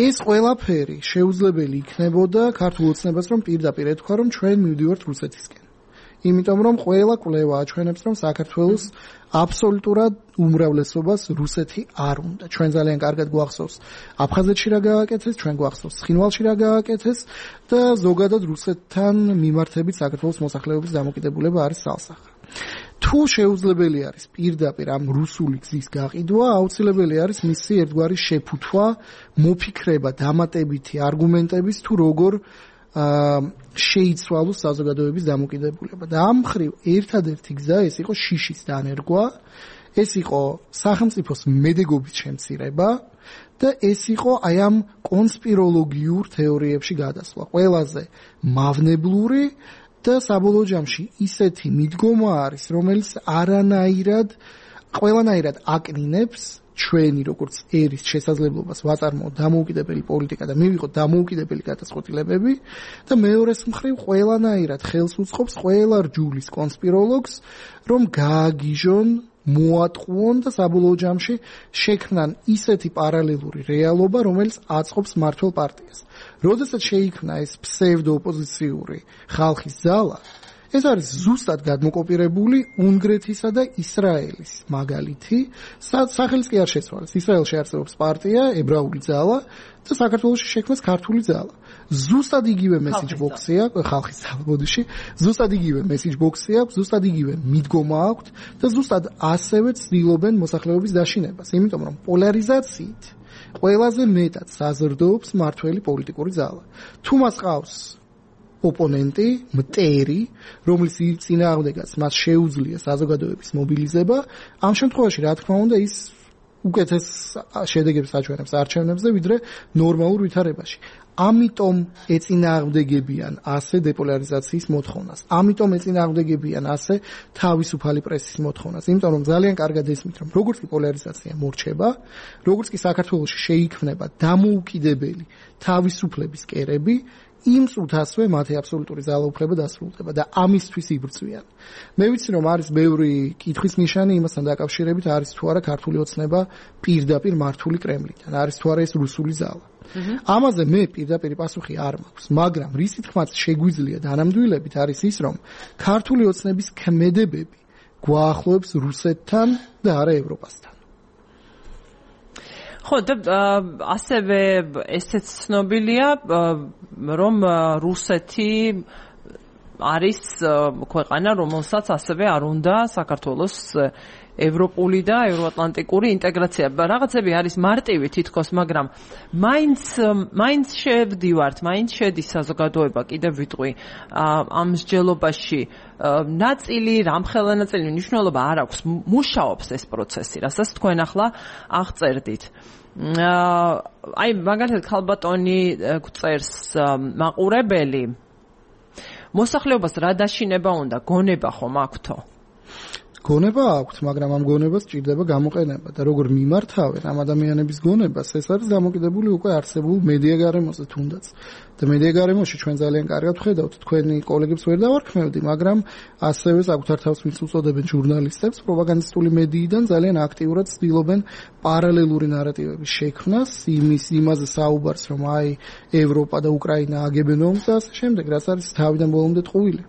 ეს ყველაფერი შეუძლებელი იქნებოდა ქართულ ოცნებას, რომ პირდაპირ ეთქვა, რომ ჩვენ მივდივართ რუსეთისკენ. იმიტომ რომ ყველა კვლევა აჩვენებს, რომ საქართველოს აბსოლუტურად უმრავლესობას რუსეთი არ უნდა. ჩვენ ძალიან კარგად გვახსოვს აფხაზეთში რა გააკეთეს, ჩვენ გვახსოვს ცხინვალში რა გააკეთეს და ზოგადად რუსეთთან მიმართებით საქართველოს მოსახლეობის დამოკიდებულება არის სალსახა. თუ შეუძლებელი არის პირდაპირ ამ რუსული გზის გაყიდვა, აუცილებელი არის მისი ერთგვარი შეფუთვა, მოფიქრება დამატებითი არგუმენტების თუ როგორ შეიცვალოს საზოგადოების დამოკიდებულება. და ამ მხრივ ერთადერთი გზა ეს იყო შიშის დანერგვა, ეს იყო სახელმწიფოს მედეგობის შემცირება და ეს იყო აი ამ კონსპიროლოგიურ თეორიებში გადასვლა. ყველაზე მავნებლური და საბოლოო ჯამში ისეთი მიდგომა არის, რომელიც არანაირად ყველანაირად აკნინებს ჩვენი როგორც ერის შესაძლებლობას ვაწარმოოთ დამოუკიდებელი პოლიტიკა და მივიღოთ დამოუკიდებელი გადაწყვეტილებები და მეორეს მხრივ ყველანაირად ხელს უწყობს ყველა რჯულის კონსპიროლოგს რომ გააგიჟონ მოატყუონ და საბოლოო ჯამში შექმნან ისეთი პარალელური რეალობა რომელიც აწყობს მართლ პარტიას. როდესაც შეიქმნა ეს ფსევდოოპოზიციური ხალხის ძალა ეს არის ზუსტად გადმოკოპირებული უნგრეთისა და ისრაელის მაგალითი, სახელს კი არ შეცვალეს. ისრაელში არსებობს პარტია, ებრაული ძალა და საქართველოში შექმნეს ქართული ძალა. ზუსტად იგივე მესიჯ ბოქსი აქვს, ხალხის ძალა ბოდიში, ზუსტად იგივე მესიჯ ბოქსი აქვს, ზუსტად იგივე მიდგომა აქვს და ზუსტად ასევე ცდილობენ მოსახლეობის დაშინებას, იმიტომ რომ პოლარიზაციით ყველაზე მეტად საზრდოობს მართველი პოლიტიკური ძალა. თუ მას ყავს ოპონენტი, მტერი, რომლის წინააღმდეგაც მას შეუძლია საზოგადოების მობილიზება, ამ შემთხვევაში რა თქმა უნდა ის უკეთეს შედეგებს აჩვენებს არჩევნებზე, ვიდრე ნორმალურ ვითარებაში. ამიტომ ეწინააღმდეგებიან ასე დეპოლარიზაციის მოთხოვნას. ამიტომ ეწინააღმდეგებიან ასე თავისუფალი პრესის მოთხოვნას. იმიტომ რომ ძალიან კარგად ესმით, რომ როგორც კი პოლარიზაცია მორჩება, როგორც კი საქართველოში შეიქმნება დამოუკიდებელი თავისუფლების კერები, იმ წუთასვე მათი აბსოლუტური ძალაუფლება დასრულდება და ამისთვის იბრძვიან. მე ვიცი რომ არის ბევრი კითხვის ნიშანი იმასთან დაკავშირებით არის თუ არა ქართული ოცნება პირდაპირ მართული კრემლიდან, არის თუ არა ეს რუსული ზალა. ამაზე მე პირდაპირ პასუხი არ მაქვს, მაგრამ რის თქმაც შეგვიძლია დანამდვილებით არის ის რომ ქართული ოცნების ქმედებები გვაახლოებს რუსეთთან და არა ევროპასთან. ხო და ასევე ესეც ცნობილია რომ რუსეთი არის ქვეყანა რომელსაც ასევე არ უნდა საქართველოს ევროპული და ევროატლანტიკური ინტეგრაცია. რაღაცები არის მარტივი თითქოს, მაგრამ მაინც მაინც შევდივართ, მაინც შედის საზოგადოება, კიდევ ვიტყვი, ამ მსჯელობაში ნაწილი, რამხელა ნაწილი მნიშვნელობა არ აქვს, მუშაობს ეს პროცესი, რასაც თქვენ ახლა აღწერდით. აი, მაგალითად, ქალბატონი გვწერს მაყურებელი, მოსახლეობას რა დაშინება უნდა, გონება ხომ აქვთო? გონება აქვთ, მაგრამ ამ გონებას ჭირდება გამოყენება და როგორ მიმართავენ ამ ადამიანების გონებას, ეს არის დამოკიდებული უკვე არსებულ მედია გარემოზე თუნდაც. და მედია გარემოში ჩვენ ძალიან კარგად ვხედავთ, თქვენი კოლეგებს ვერ დავარქმევდი, მაგრამ ასევე საკუთარ თავს ვინც უწოდებენ ჟურნალისტებს, პროპაგანდისტული მედიიდან ძალიან აქტიურად ცდილობენ პარალელური ნარატივების შექმნას, იმის იმაზე საუბარს, რომ აი ევროპა და უკრაინა აგებენ ომს და ასე შემდეგ, რაც არის თავიდან ბოლომდე ტყუილი.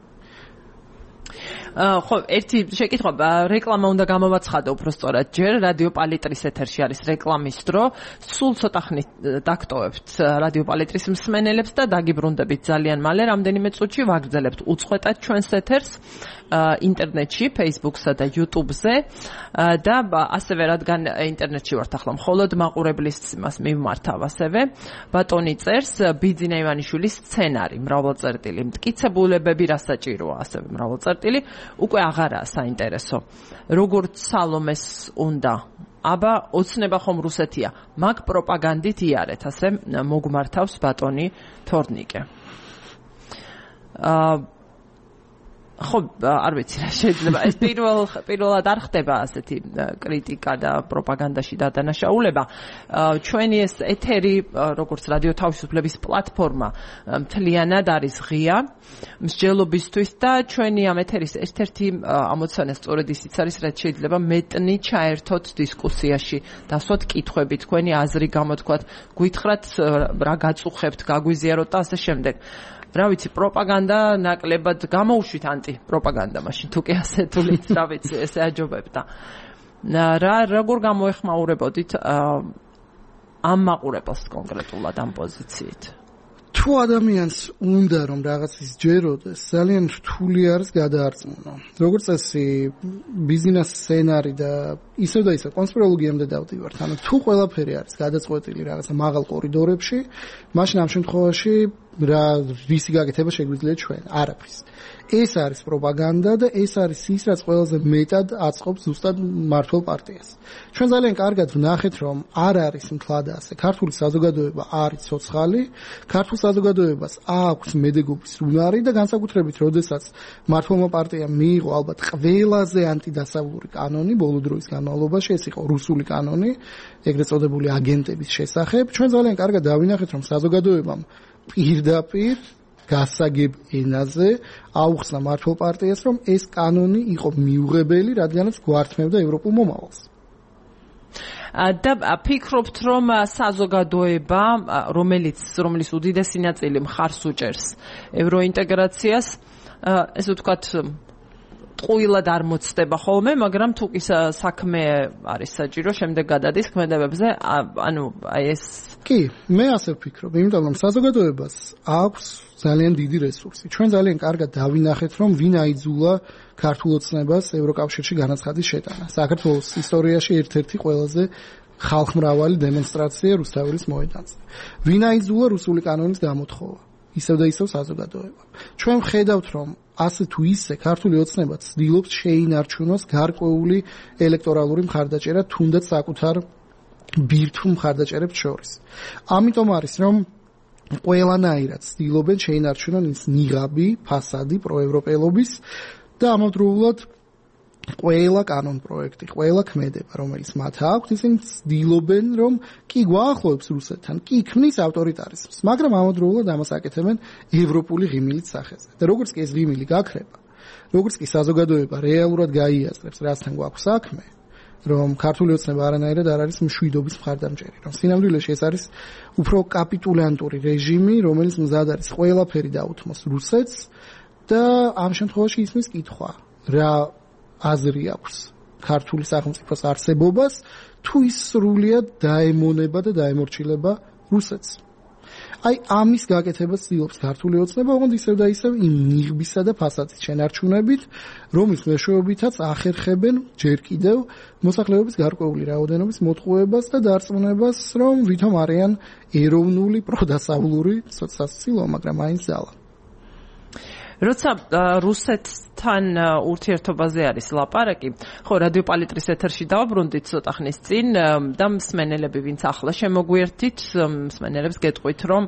ხო, ერთი შეკითხვა, რეკლამა უნდა გამოვაცხადო უფრო სწორად ჯერ, რადიო პალიტრის ეთერში არის რეკლამის დრო, სულ ცოტა ხნით დაგტოვებთ რადიო პალიტრის მსმენელებს და დაგიბრუნდებით ძალიან მალე, რამდენიმე წუთში ვაგრძელებთ უწყვეტად ჩვენს ეთერს ინტერნეტში, Facebook-სა და YouTube-ზე და ასევე რადგან ინტერნეტში ვართ ახლა მხოლოდ მაყურებლის იმას მივმართავ ასევე ბატონი წერს ბიძინა ივანიშვილის სცენარი მრავალწერტილი მტკიცებულებები რა საჭიროა ასევე მრავალწერტილი უკვე აღარაა საინტერესო როგორც სალომეს უნდა აბა ოცნება ხომ რუსეთია მაგ პროპაგანდით იარეთ ასე მოგმართავს ბატონი თორნიკე აა ხო, არ ვიცი რა შეიძლება. ეს პირველ პირველად არ ხდება ასეთი კრიტიკა და პროპაგანდაში დადანაშაულება. ჩვენი ეს ეთერი, როგორც რადიო თავისუფლების პლატფორმა, მთლიანად არის ღია მსჯელობისთვის და ჩვენი ამ ეთერის ერთ-ერთი ამოცანა სწორედ ისიც არის, რაც შეიძლება მეტნი ჩაერთოთ დისკუსიაში, დასვათ კითხვები, თქვენი აზრი გამოთქვათ, გითხრათ რა გაწუხებთ, გაგვიზიაროთ და ასე შემდეგ. რა ვიცი, პროპაგანდა ნაკლებად გამოუშვით ანტი პროპაგანდა მაშინ თუ კი ასე თulit, რა ვიცი, ესე აჯობებდა. რა როგორ გამოეხმაურებოდით ამ მაყურებელს კონკრეტულად ამ პოზიციით? თუ ადამიანს უნდა რომ რაღაც ის ჯეროდეს, ძალიან რთული არის გადაარწმუნა. როგორც წესი, ბიზნეს სცენარი და ისევ და ისევ კონსპიროლოგიამდე დავდივართ. ანუ თუ ყველაფერი არის გადაწყვეტილი რაღაცა მაღალ კორიდორებში, მაშინ ამ შემთხვევაში რა რისი გაკეთება შეგვიძლია ჩვენ არაფრის ეს არის პროპაგანდა და ეს არის ის რაც ყველაზე მეტად აწყობს ზუსტად მართლ პარტიას ჩვენ ძალიან კარგად ვნახეთ რომ არ არის მთლად ასე ქართული საზოგადოება არის ცოცხალი ქართულ საზოგადოებას აქვს მედეგობის უნარი და განსაკუთრებით როდესაც მართლმა პარტიამ მიიღო ალბათ ყველაზე ანტიდასავლური კანონი ბოლო დროის განმავლობაში ეს იყო რუსული კანონი ეგრეთ წოდებული აგენტების შესახებ ჩვენ ძალიან კარგად დავინახეთ რომ საზოგადოებამ პირდაპირ გასაგებ ენაზე აუხსნა მართლ პარტიას რომ ეს კანონი იყო მიუღებელი რადგანაც გვართმევდა ევროპულ მომავალს და ფიქრობთ რომ საზოგადოება რომელიც რომლის უდიდესი ნაწილი მხარს უჭერს ევროინტეგრაციას ესე ვთქვათ ტყუილად არ მოცდება ხოლმე, მაგრამ თუ კი საქმე არის საჭირო, შემდეგ გადადის ქმედებებზე, ანუ აი ეს კი, მე ასე ვფიქრობ, იმიტომ რომ საზოგადოებას აქვს ძალიან დიდი რესურსი. ჩვენ ძალიან კარგად დავინახეთ, რომ ვინ აიძულა ქართულ ოცნებას ევროკავშირში განაცხადის შეტანა. საქართველოს ისტორიაში ერთ-ერთი ყველაზე ხალხმრავალი დემონსტრაცია რუსთაველის მოედანზე. ვინ აიძულა რუსული კანონის გამოთხოვა? ისევ და ისევ საზოგადოება. ჩვენ ვხედავთ, რომ ასე თუ ისე ქართული ოცნება ცდილობს შეინარჩუნოს გარკვეული ელექტორალური მხარდაჭერა თუნდაც საკუთარ ბირთვ მხარდაჭერებს შორის. ამიტომ არის რომ ყველანაირად ცდილობენ შეინარჩუნონ ის ნიღაბი, ფასადი პროევროპელობის და ამავდროულად ყველა კანონ პროექტი, ყველა ქმედება, რომელიც მათ აქვს, ისინი ცდილობენ, რომ კი გვაახლოებს რუსეთთან, კი ქმნის ავტორიტარიზმს, მაგრამ ამავდროულად ამას აკეთებენ ევროპული ღიმილის სახეზე. და როგორც კი ეს ღიმილი გაქრება, როგორც კი საზოგადოება რეალურად გაიაზრებს, რასთან გვაქვს საქმე, რომ ქართული ოცნება არანაირად არ არის მშვიდობის მხარდამჭერი, რომ სინამდვილეში ეს არის უფრო კაპიტულანტური რეჟიმი, რომელიც მზად არის ყველაფერი დაუთმოს რუსეთს და ამ შემთხვევაში ისმის კითხვა, რა აზრი აქვს ქართული სახელმწიფოს არსებობას თუ ის სრულიად დაემონება და დაემორჩილება რუსეთს. აი ამის გაკეთებას ცდილობს ქართული ოცნება, ოღონდ ისევ და ისევ იმ ნიღბისა და ფასადის შენარჩუნებით, რომლის მეშვეობითაც ახერხებენ ჯერ კიდევ მოსახლეობის გარკვეული რაოდენობის მოტყუებას და დარწმუნებას, რომ ვითომ არიან ეროვნული პროდასავლური სასაცილო, მაგრამ აინც ძალა. როცა რუსეთთან ურთიერთობაზე არის ლაპარაკი, ხო რადიო პალიტრის ეთერში დავაბრუნდით ცოტა ხნის წინ და მსმენელები ვინც ახლა შემოგვიერთით, მსმენელებს გეტყვით, რომ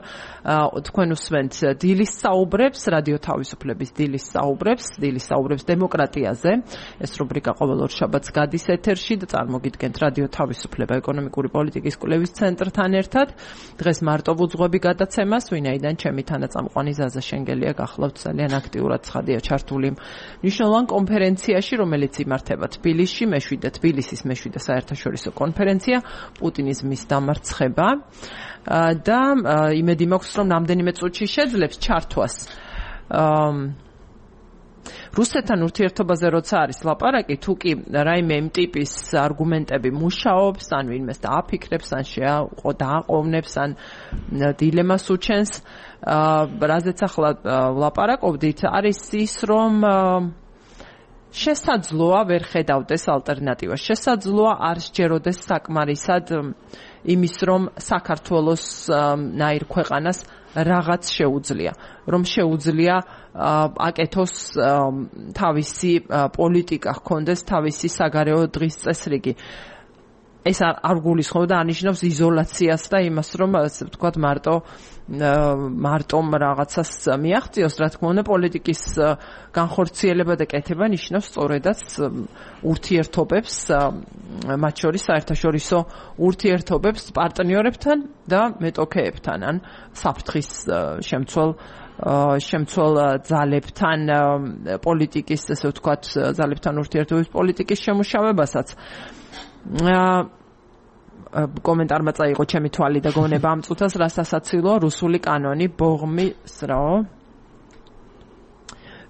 თქვენ უსმენთ დილის საუბრებს, რადიო თავისუფლების დილის საუბრებს, დილის საუბრებს დემოკრატიაზე. ეს რუბრიკა ყოველ ორ შაბათს გადის ეთერში და წარმოგიდგენთ რადიო თავისუფლება ეკონომიკური პოლიტიკის კვლევის ცენტრთან ერთად. დღეს მარტო უძღვები გადაცემას, ვინაიდან ჩემი თანაწამყვანი ზაზა შენგელია გახლავთ ძალიან აქტიურად ცხადია ჩართული მნიშვნელოვან კონფერენციაში, რომელიც იმართება თბილისში, მეშვიდე თბილისის მეშვიდე საერთაშორისო კონფერენცია პუტინიზმის დამარცხება და იმედი მაქვს, რომ რამდენიმე წუთში შეძლებს ჩართვას. რუსეთთან ურთიერთობაზე როცა არის ლაპარაკი, თუ კი რაიმე იმ ტიპის არგუმენტები მუშაობს, ან ვინმეს დააფიქრებს, ან შეაყო დააყოვნებს, ან დილემას უჩენს, რაზეც ახლა ვლაპარაკობდით, არის ის, რომ შესაძლოა ვერ ხედავდეს ალტერნატივას. შესაძლოა არ სჯეროდეს საკმარისად იმის, რომ საქართველოს ნაირ ქვეყანას რაღაც შეუძლია, რომ შეუძლია აკეთოს თავისი პოლიტიკა, ჰქონდეს თავისი საგარეო დღის წესრიგი. ეს არ გულისხმობდა ანიშნავს იზოლაციას და იმას, რომ ასე ვთქვათ, მარტო მარტომ რაღაცას მიაღწიოს, რა თქმა უნდა, პოლიტიკის განხორციელება და კეთება ნიშნავს სწორედაც ურთიერთობებს, მათ შორის საერთაშორისო ურთიერთობებს პარტნიორებთან და მეტოქეებთან, ან საფრთხის შემცველ შემცველ ძალებთან პოლიტიკის, ასე ვთქვათ, ძალებთან ურთიერთობის პოლიტიკის შემუშავებასაც. კომენტარმა წაიღო ჩემი თვალი და გონება ამ წუთას რას ასაცილო რუსული კანონი ბოღმის რა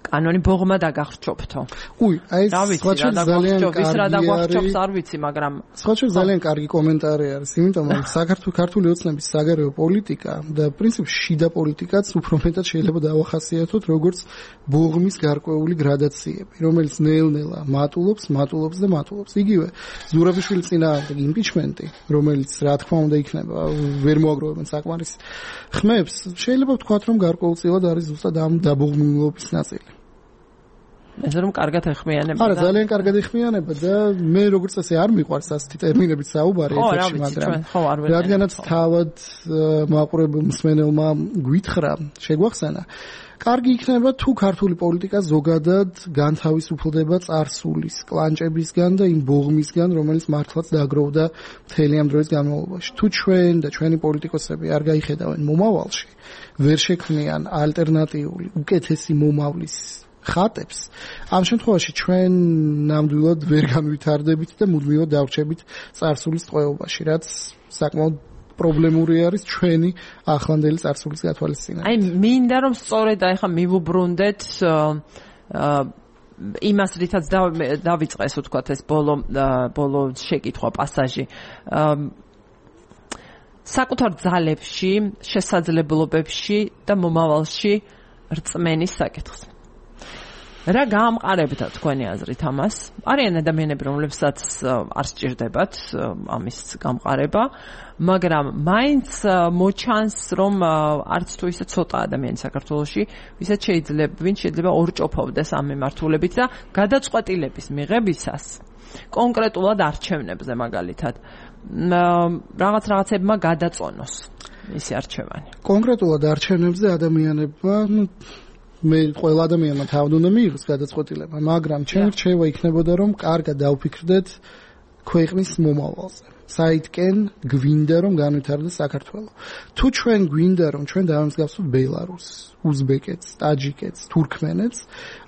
კანონი ბოღმა დაგახრჩობთო. უი, აი სხვაჩვენ ძალიან კარგი რა დაგახრჩობს არ ვიცი, მაგრამ სხვაჩვენ ძალიან კარგი კომენტარი არის, იმიტომ რომ საქართველოს ქართული ოცნების საგარეო პოლიტიკა და პრინციპში შიდა პოლიტიკაც უფრო მეტად შეიძლება დავახასიათოთ როგორც ბოღმის გარკვეული გრადაციები, რომელიც ნელ-ნელა მატულობს, მატულობს და მატულობს. იგივე ზურაბიშვილის წინააღმდეგ იმპიჩმენტი, რომელიც რა თქმა უნდა იქნება, ვერ მოაგროვებენ საკმარის ხმებს, შეიძლება ვთქვათ, რომ გარკვეულწილად არის ზუსტად ამ დაბოღმილობის ნაწილი. ესე რომ კარგად ეხმიანება. არა, ძალიან კარგად ეხმიანება და მე როგორც ასე არ მიყვარს ასეთი ტერმინებით საუბარი ეფექტში, მაგრამ რადგანაც თავად მაყურებელ მსმენელმა გვითხრა, შეგვახსენა. კარგი იქნება თუ ქართული პოლიტიკა ზოგადად განთავისუფლდება წარსულის, კლანჭებისგან და იმ ბოღმისგან, რომელიც მართლაც დაგროვდა მთელი ამ დროის განმავლობაში. თუ ჩვენ და ჩვენი პოლიტიკოსები არ გაიხედავენ მომავალში, ვერ შექმნიან ალტერნატიული, უკეთესი მომავლის ხატებს, ამ შემთხვევაში ჩვენ ნამდვილად ვერ განვითარდებით და მუდმივად დავრჩებით წარსულის ტყვეობაში, რაც საკმაოდ პრობლემური არის ჩვენი ახლანდელი წარსულის გათვალისწინება. აი, მინდა რომ სწორედ აი ხა მივუბრუნდეთ იმას, რითაც დავიწყეს ვთქვათ ეს ბოლო ბოლო შეკითხვა პასაჟი. საკუთარ ძალებში, შესაძლებლობებში და მომავალში რწმენის საკითხს. რა გაამყარებდა თქვენი აზრით ამას? არიან ადამიანები, რომლებსაც არ სჭირდებათ ამის გამყარება, მაგრამ მაინც მოჩანს, რომ არც თუ ისე ცოტა ადამიანი საქართველოში, ვისაც შეიძლება, ვინც შეიძლება ორჭოფობდეს ამ მიმართულებით და გადაწყვეტილების მიღებისას კონკრეტულად არჩევნებზე მაგალითად რაღაც რაღაცებმა გადაწონოს მისი არჩევანი. კონკრეტულად არჩევნებზე ადამიანებმა მე ყველა ადამიანმა თავად უნდა მიიღოს გადაწყვეტილება, მაგრამ ჩემი რჩევა იქნებოდა, რომ კარგად დავფიქრდეთ ქვეყნის მომავალზე. საითკენ გვინდა რომ განვითარდეს საქართველო. თუ ჩვენ გვინდა რომ ჩვენ დავამსგავსოთ ბელარუსს, უზბეკეთს, ტაჯიკეთს, თურქმენეთს,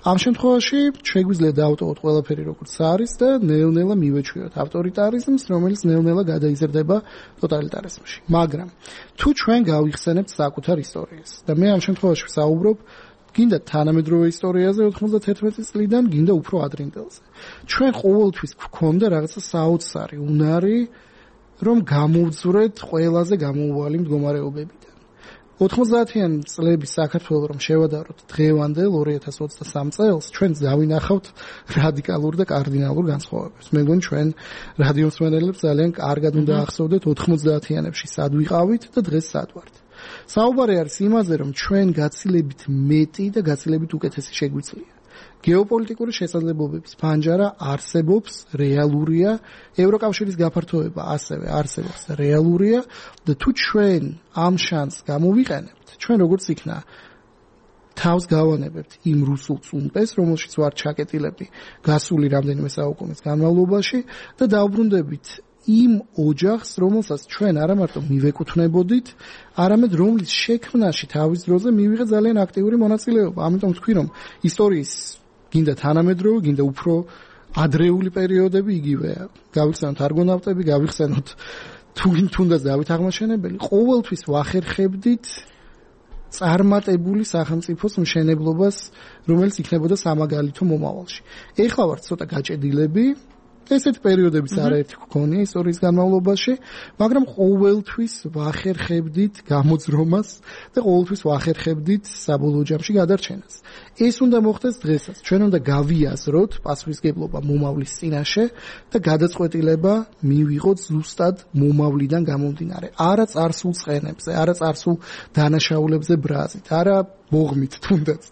ამ შემთხვევაში შეგვიძლია დავტოვოთ ყველაფერი როგორც არის და ნელ-ნელა მივეჩვიოთ ავტორიტარიზმს, რომელიც ნელ-ნელა გადაიზრდება ტოტალიტარიზმში. მაგრამ თუ ჩვენ გავიხსენებთ საკუთარ ისტორიას და მე ამ შემთხვევაში ვსაუბრობ გინდა თანამედროვე ისტორიაზე ოთხმოცდათერთმეტი წლიდან, გინდა უფრო ადრინდელზე. ჩვენ ყოველთვის გვქონდა რაღაცა საოცარი უნარი, რომ გამოვძვრეთ ყველაზე გამოუვალი მდგომარეობებიდან. ოთხმოცდაათიანი წლების საქართველოს რომ შევადაროთ დღევანდელ ორი ათას ოცდასამ წელს, ჩვენ დავინახავთ რადიკალურ და კარდინალურ განსხვავებებს. მე მგონი ჩვენ რადიო მსმენელებს ძალიან კარგად უნდა ახსოვდეთ ოთხმოცდაათიანებში სად ვიყავით და დღეს სად ვართ. საუბარი არის იმაზე, რომ ჩვენ გაცილებით მეტი და გაცილებით უკეთესი შეგვიძლია. გეოპოლიტიკური შესაძლებლობების ფანჯარა არსებობს, რეალურია, ევროკავშირის გაფართოება ასევე არსებობს, რეალურია და თუ ჩვენ ამ შანსს გამოვიყენებთ, ჩვენ როგორც იქნა თავს გავანებებთ იმ რუსულ წუმპეს, რომელშიც ვარ ჩაკეტილები გასული რამდენიმე საუკუნის განმავლობაში და დავბრუნდებით იმ ოჯახს, რომელსაც ჩვენ არა მარტო მივეკუთვნებოდით, არამედ რომლის შექმნაში თავის დროზე მივიღე ძალიან აქტიური მონაწილეობა. ამიტომ ვთქვი, რომ ისტორიის გინდა თანამედროვე, გინდა უფრო ადრეული პერიოდები იგივეა. გავიხსენოთ არგონავტები, გავიხსენოთ თუნდაც დავით აღმაშენებელი, ყოველთვის ვახერხებდით წარმატებული სახელმწიფოს მშენებლობას, რომელიც იქნებოდა სამაგალითო მომავალში. ეხლა ვართ ცოტა გაჭედილები, ესეთი პერიოდებიც არაერთი გქონია ისტორიის განმავლობაში, მაგრამ ყოველთვის ვახერხებდით გამოძრომას და ყოველთვის ვახერხებდით საბოლოო ჯამში გადარჩენას. ეს უნდა მოხდეს დღესაც. ჩვენ უნდა გავიაზროთ პასუხისგებლობა მომავლის წინაშე და გადაწყვეტილება მივიღოთ ზუსტად მომავლიდან გამომდინარე. არა წარსულ ცხენებზე, არა წარსულ დანაშაულებზე ბრაზით, არა ბოღმით თუნდაც,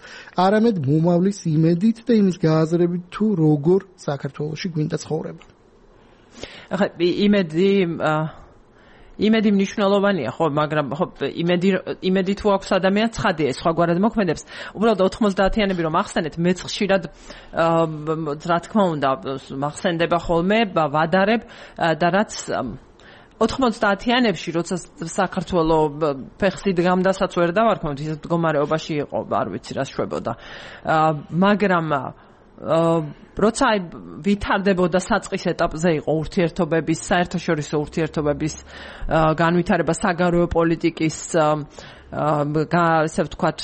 არამედ მომავლის იმედით და იმის გააზრებით თუ როგორ საქართველოში გვინდა ცხოვრება. ახლა იმედი იმედი მნიშვნელოვანია, ხო, მაგრამ ხო იმედი იმედი თუ აქვს ადამიანს ცხადია, სხვაგვარად მოქმედებს. უბრალოდ ოთხმოცდაათიანები რომ ახსენეთ, მეც ხშირად რა თქმა უნდა მახსენდება ხოლმე, ვადარებ და რაც ოთხმოცდაათიანებში, როცა საქართველო ფეხსით გამდასაც ვერ დავარქმევთ, ისეთ მდგომარეობაში იყო, არ ვიცი რა შვებოდა. მაგრამ როცა ვითარდებოდა საწყის ეტაპზე იყო ურთიერთობების, საერთაშორისო ურთიერთობების განვითარება, საგარეო პოლიტიკის ასე ვთქვათ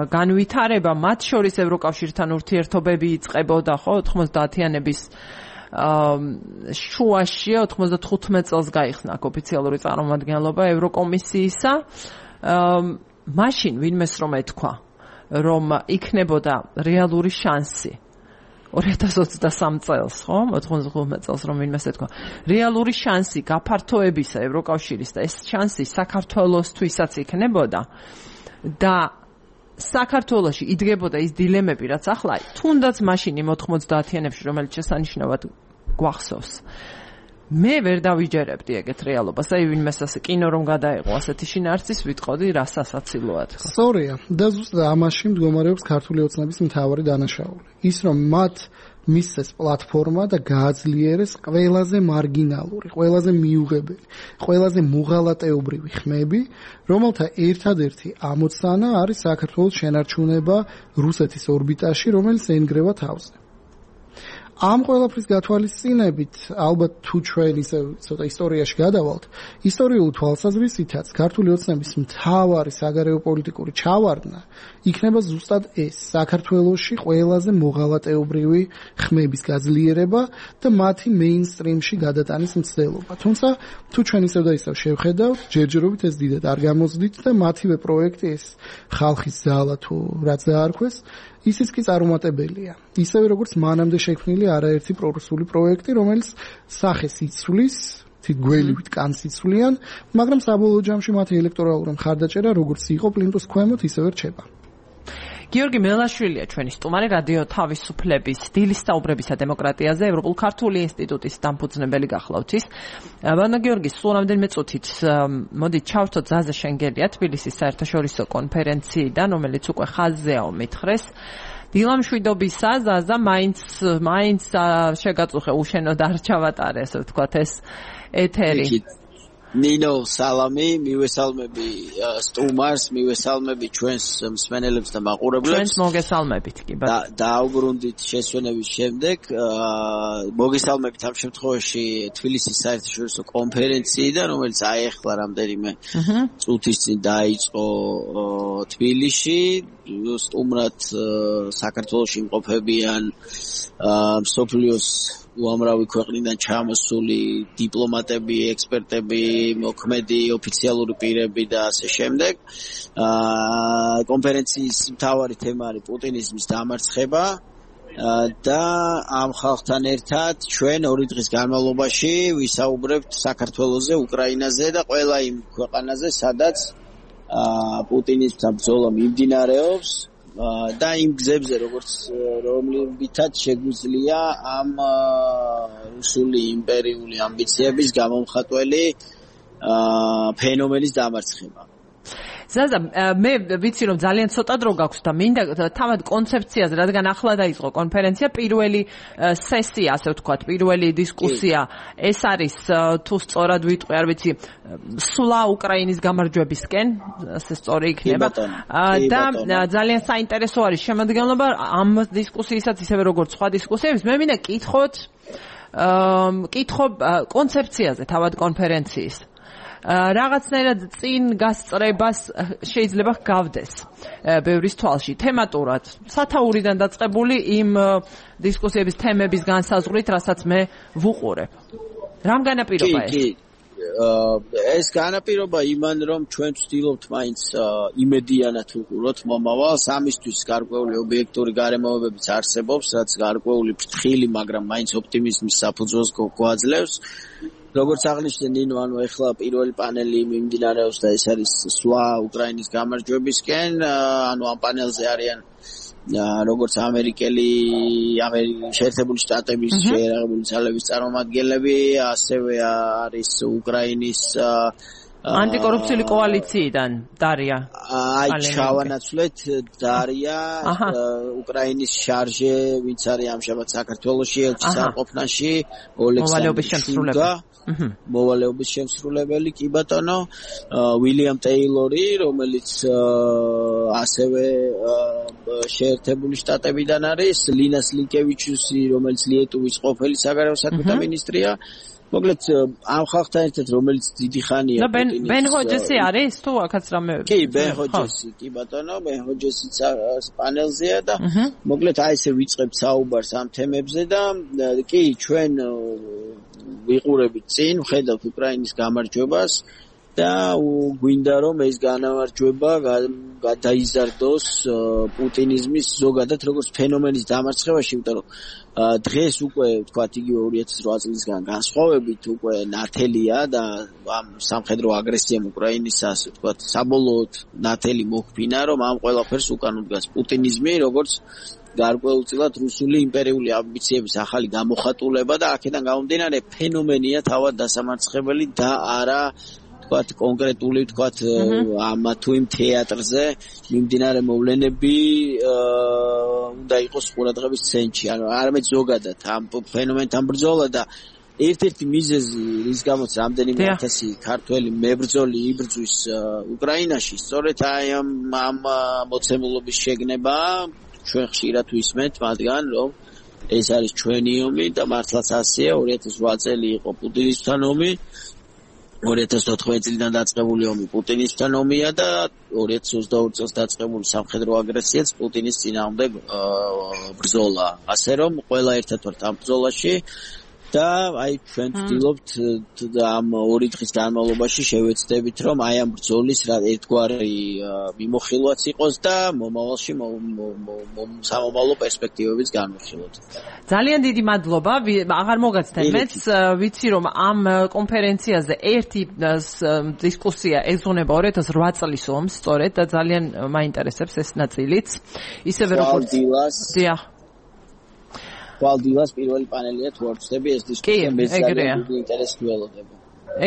განვითარება მათ შორის ევროკავშირთან ურთიერთობები იწყებოდა ხო ოთხმოცდაათიანების შუაში ოთხმოცდათხუთმეტ წელს გაიხსნა ოფიციალური წარმომადგენლობა ევროკომისიისა მაშინ ვინმეს რომ ეთქვა რომ იქნებოდა რეალური შანსი ორი ათას ოცდასამ წელს ხო ოთხმოცდათხუთმეტ წელს რომ ვინმეს ეთქვა რეალური შანსი გაფართოებისა ევროკავშირის და ეს შანსი საქართველოსთვისაც იქნებოდა და საქართველოში იდგებოდა ის დილემები რაც ახლა თუნდაც მაშინ იმ ოთხმოცდაათიანებში რომელიც შესანიშნავად გვახსოვს მე ვერ დავიჯერებდი ეგეთ რეალობას აი ვინმეს ასე კინო რომ გადაეყო ასეთი შინაარსის ვიტყოდი რა სასაცილოა თქო სწორია და ზუსტად ამაში მდგომარეობს ქართული ოცნების მთავარი დანაშაული ის რომ მათ მისცეს პლატფორმა და გააძლიერეს ყველაზე მარგინალური, ყველაზე მიუღებელი, ყველაზე მუღალატეობრივი ხმები, რომელთა ერთადერთი ამოცანა არის საქართველოს შენარჩუნება რუსეთის ორბიტაში, რომელიც ეინგრევა თავზე. ამ ყველაფრის გათვალისწინებით, ალბათ თუ ჩვენ ისე ცოტა ისტორიაში გადავალთ, ისტორიული თვალსაზრისითაც ქართული ოცნების მთავარი საგარეო პოლიტიკური ჩავარდნა იქნება ზუსტად ეს, საქართველოში ყველაზე მოღალატეობრივი ხმების გაძლიერება და მათი მეინსტრიმში გადატანის მცდელობა. თუმცა, თუ ჩვენ ისევ და ისევ შევხედავთ, ჯერჯერობით ეს დიდად არ გამოსდით და მათივე პროექტი ეს ხალხის ზალა თუ რაც დაარქვეს ისიც კი წარუმატებელია. ისევე როგორც მანამდე შექმნილი არაერთი პრორუსული პროექტი, რომელიც სახეს იცვლის, თვით გველივით კანს იცვლიან, მაგრამ საბოლოო ჯამში მათი ელექტორალური მხარდაჭერა როგორც იყო პლინტუს ქვემოთ, ისევე რჩება. გიორგი მელაშვილია ჩვენი სტუმარი რადიო თავისუფლების დილის საუბრებისა დემოკრატიაზე ევროპულ-ქართული ინსტიტუტის დამფუძნებელი გახლავთ ის. ბატონო გიორგი, სულ რამდენიმე წუთით მოდი ჩავთო ძაზე შენგელია თბილისის საერთაშორისო კონფერენციიდან, რომელიც უკვე ხაზზეაო მითხრეს. დილამშვიდობისა ზაზა მაინც მაინც შეგაწუხე უშენოდ არ ჩავატარე, ასე ვთქვათ ეს ეთერი. ნინო სალამი, მივესალმები სტუმარს, მივესალმები ჩვენს მსმენელებს და მაყურებლებს. ჩვენს მოგესალმებით კი ბატონო. და დაუბრუნდით შესვენების შემდეგ, მოგესალმებით ამ შემთხვევაში თბილისის საერთაშორისო კონფერენციიდან, რომელიც აეხლა რამდენიმე წუთის წინ დაიწყო თბილისში. სტუმრად საქართველოში იმყოფებიან მსოფლიოს უამრავი ქვეყნიდან ჩამოსული დიპლომატები, ექსპერტები, მოქმედი ოფიციალური პირები და ასე შემდეგ. კონფერენციის მთავარი თემა არის პუტინიზმის დამარცხება და ამ ხალხთან ერთად ჩვენ ორი დღის განმავლობაში ვისაუბრებთ საქართველოზე, უკრაინაზე და ყველა იმ ქვეყანაზე, სადაც პუტინიზმთან ბრძოლა მიმდინარეობს. და იმ გზებზე როგორც რომლებითაც შეგვიძლია ამ რუსული იმპერიული ამბიციების გამომხატველი ფენომენის დამარცხება. ზაზა, მე ვიცი რომ ძალიან ცოტა დრო გაქვს და მინდა თავად კონცეფციაზე, რადგან ახლა დაიწყო კონფერენცია, პირველი სესია, ასე ვთქვათ, პირველი დისკუსია, ეს არის თუ სწორად ვიტყვი, არ ვიცი, სვლა უკრაინის გამარჯვებისკენ, ასე სწორი იქნება. და ძალიან საინტერესო არის შემოდგენილობა ამ დისკუსიისაც, ისევე როგორც სხვა დისკუსიების. მე მინდა კითხოთ, კითხო კონცეფციაზე თავად კონფერენციის. რაღაცნაირად წინ გასწრებას შეიძლება გავდეს ბევრის თვალში თემატურად სათაურიდან დაწყებული იმ დისკუსიების თემების განსაზღვრით, რასაც მე ვუყურებ. რამ განაპირობა ეს? ეს განაპირობა იმან, რომ ჩვენ ვცდილობთ მაინც იმედიანად ვუყუროთ მომავალს, ამისთვის გარკვეული ობიექტური გარემოებებიც არსებობს, რაც გარკვეული ფრთხილი, მაგრამ მაინც ოპტიმიზმის საფუძველს გვაძლევს. როგორც აღნიშნე ნინო, ანუ ეხლა პირველი პანელი მიმდინარეობს და ეს არის სვლა უკრაინის გამარჯვებისკენ, ანუ ამ პანელზე არიან როგორც ამერიკელი, ამერიკის შეერთებული შტატების შეერაღებული ძალების წარმომადგენლები, ასევე არის უკრაინის ანტიკორუფციული კოალიციიდან დარია. აი ჩავანაცვლეთ დარია, უკრაინის შარჟე, ვინც არის ამჟამად საქართველოში ელჩის არყოფნაში, მოვალეობის შემსრულებელი. მოვალეობის შემსრულებელი კი ბატონო, უილიამ ტეილორი, რომელიც ასევე შეერთებული შტატებიდან არის, ლინას ლინკევიჩუსი, რომელიც ლიეტუვის ყოფილი საგარეო საქმეთა მინისტრია. მოკლედ ამ ხალხთან ერთად რომელიც დიდი ხანია და ბენ ჰოჯესი არის თუ აქაც რამე კი ბენ ჰოჯესი კი ბატონო ბენ ჰოჯესიც პანელზეა და მოკლედ აი ესე ვიწყებთ საუბარს ამ თემებზე და კი ჩვენ ვიყურებით წინ ვხედავთ უკრაინის გამარჯვებას და გვინდა რომ ეს განმარჯვება გადაიზარდოს პუტინიზმის ზოგადად როგორც ფენომენის დამარცხებაში, იმიტომ რომ დღეს უკვე თქვათ იგივე ორი ათას ოთხ წლისგან განსხვავებით უკვე ნათელია და ამ სამხედრო აგრესიამ უკრაინის ასე თქვათ საბოლოოდ ნათელი მოხფინა, რომ ამ ყველაფერს უკან უდგას პუტინიზმი, როგორც გარკვეულწილად რუსული იმპერიული ამბიციების ახალი გამოხატულება და აქედან გამომდინარე ფენომენია თავად დასამარცხებელი და არა თქვათ კონკრეტული თქვათ ამ თუ იმ თეატრზე მიმდინარე მოვლენები უნდა იყოს ყურადღების ცენტრში, ანუ არამედ ზოგადად ამ ფენომენთან ბრძოლა და ერთ-ერთი მიზეზი რის გამოც რამდენიმე ათასი ქართველი მებრძოლი იბრძვის უკრაინაში, სწორედ აი ამ ამ მოცემულობის შეგნება ჩვენ ხშირად ვისმენთ მათგან, რომ ეს არის ჩვენი ომი და მართლაც ასეა, ორი ათას ოთხ წელი იყო პუტინისთან ომი, ორი ათას ოთხმეტ წლიდან დაწყებული ომი პუტინისთან ომია და ორი ათას ოცდაორი წელს დაწყებული სამხედრო აგრესიაც პუტინის წინააღმდეგ ბრძოლა. ასე რომ ყველა ერთად ვართ ამ ბრძოლაში და აი ჩვენ ვცდილობთ ამ ორი დღის განმავლობაში შევეცდებით რომ აი ამ ბრძოლის ერთგვარი მიმოხილვაც იყოს და მომავალში სამომავლო პერსპექტივებიც განვიხილოთ. ძალიან დიდი მადლობა. აღარ მოგაცდეთ მეც ვიცი რომ ამ კონფერენციაზე ერთი დისკუსია ეზონება ორი ათას ოთხ წლის ომს სწორედ და ძალიან მაინტერესებს ეს ნაწილიც. ისევე როგორც დიახ ვალდილას პირველი პანელია თუ არ ვწდები ეს დისკუსია მე ძალიან დიდი ინტერესი ველოდება.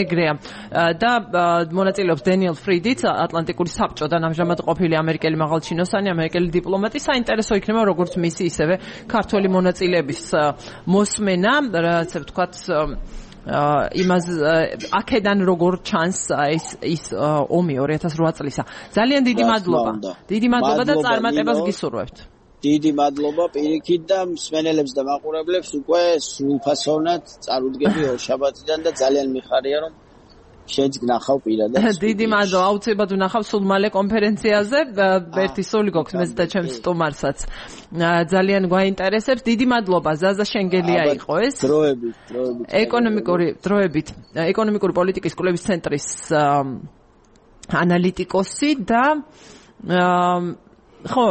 ეგრეა და მონაწილეობს დენიელ ფრიდიც ატლანტიკური საბჭოდან ამჟამად ყოფილი ამერიკელი მაღალჩინოსანი, ამერიკელი დიპლომატი. საინტერესო იქნება როგორც მისი ისევე ქართველი მონაწილეების მოსმენა, რაც ვთქვათ იმას აქედან როგორ ჩანს ის ის ომი ორი ათას ოთხ წლისა. ძალიან დიდი მადლობა. დიდი მადლობა და წარმატებას გისურვებთ. დიდი მადლობა პირიქით და მსმენელებს და მაყურებლებს უკვე სრულფასოვნად წარუდგები ორშაბათიდან და ძალიან მიხარია რომ შენც გნახავ პირადად. დიდი მადლობა, აუცილებლად ვნახავ სულ მალე კონფერენციაზე. ერთი სული გოქს მეც და ჩემს სტუმარსაც. ძალიან გვაინტერესებს. დიდი მადლობა, ზაზა შენგელია იყო ეს. დროებით, დროებით. ეკონომიკური დროებით, ეკონომიკური პოლიტიკის კვლევის ცენტრის ანალიტიკოსი და ხო,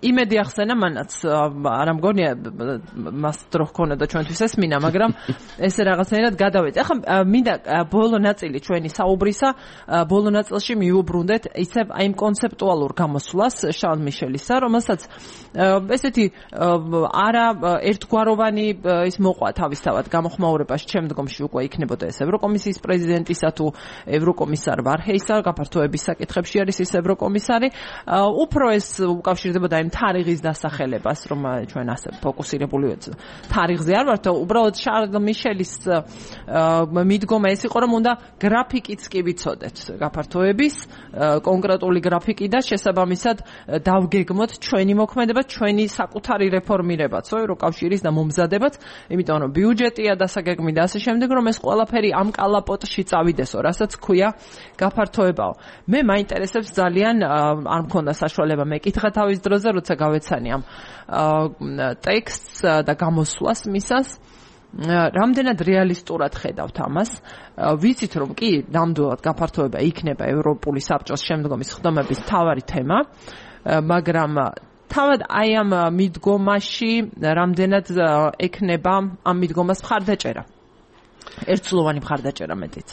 იმედი ახსენა მანაც არ მგონია მას დრო ჰქონოდა ჩვენთვის ესმინა, მაგრამ ესე რაღაცნაირად გადავეც. ახლა მინდა ბოლო ნაწილი ჩვენი საუბრისა, ბოლო ნაწილში მიუბრუნდეთ ისევ აი იმ კონცეპტუალურ გამოსვლას შარლ მიშელისა, რომელსაც ესეთი არა ერთგვაროვანი ის მოყვა თავისთავად გამოხმაურებას შემდგომში უკვე იქნებოდა ეს ევროკომისიის პრეზიდენტისა თუ ევროკომისარ ვარჰეისა, გაფართოების საკითხებში არის ის ევროკომისარი. უფრო ეს უკავშირდებოდა იმ თარიღის დასახელებას, რომ ჩვენ ასე ფოკუსირებული ვართ თარიღზე არ ვართ, უბრალოდ შარლ მიშელის მიდგომა ეს იყო, რომ უნდა გრაფიკიც კი ვიცოდეთ გაფართოების, კონკრეტული გრაფიკი და შესაბამისად დავგეგმოთ ჩვენი მოქმედება, ჩვენი საკუთარი რეფორმირებაც, ევროკავშირის და მომზადებაც, იმიტომ რომ ბიუჯეტია დასაგეგმი და ასე შემდეგ, რომ ეს ყველაფერი ამ კალაპოტში წავიდესო, რასაც ქვია გაფართოებაო. მე მაინტერესებს ძალიან, არ მქონდა საშუალება მეკითხა თავის დროზე, როცა გავეცანი ამ ტექსტს და გამოსვლას მისას, რამდენად რეალისტურად ხედავთ ამას. ვიცით რომ კი ნამდვილად გაფართოება იქნება ევროპული საბჭოს შემდგომი ხდომების მთავარი თემა, მაგრამ თავად აი ამ მიდგომაში რამდენად ექნება ამ მიდგომას მხარდაჭერა. ერთწლოვანი მხარდაჭერა მეტიც.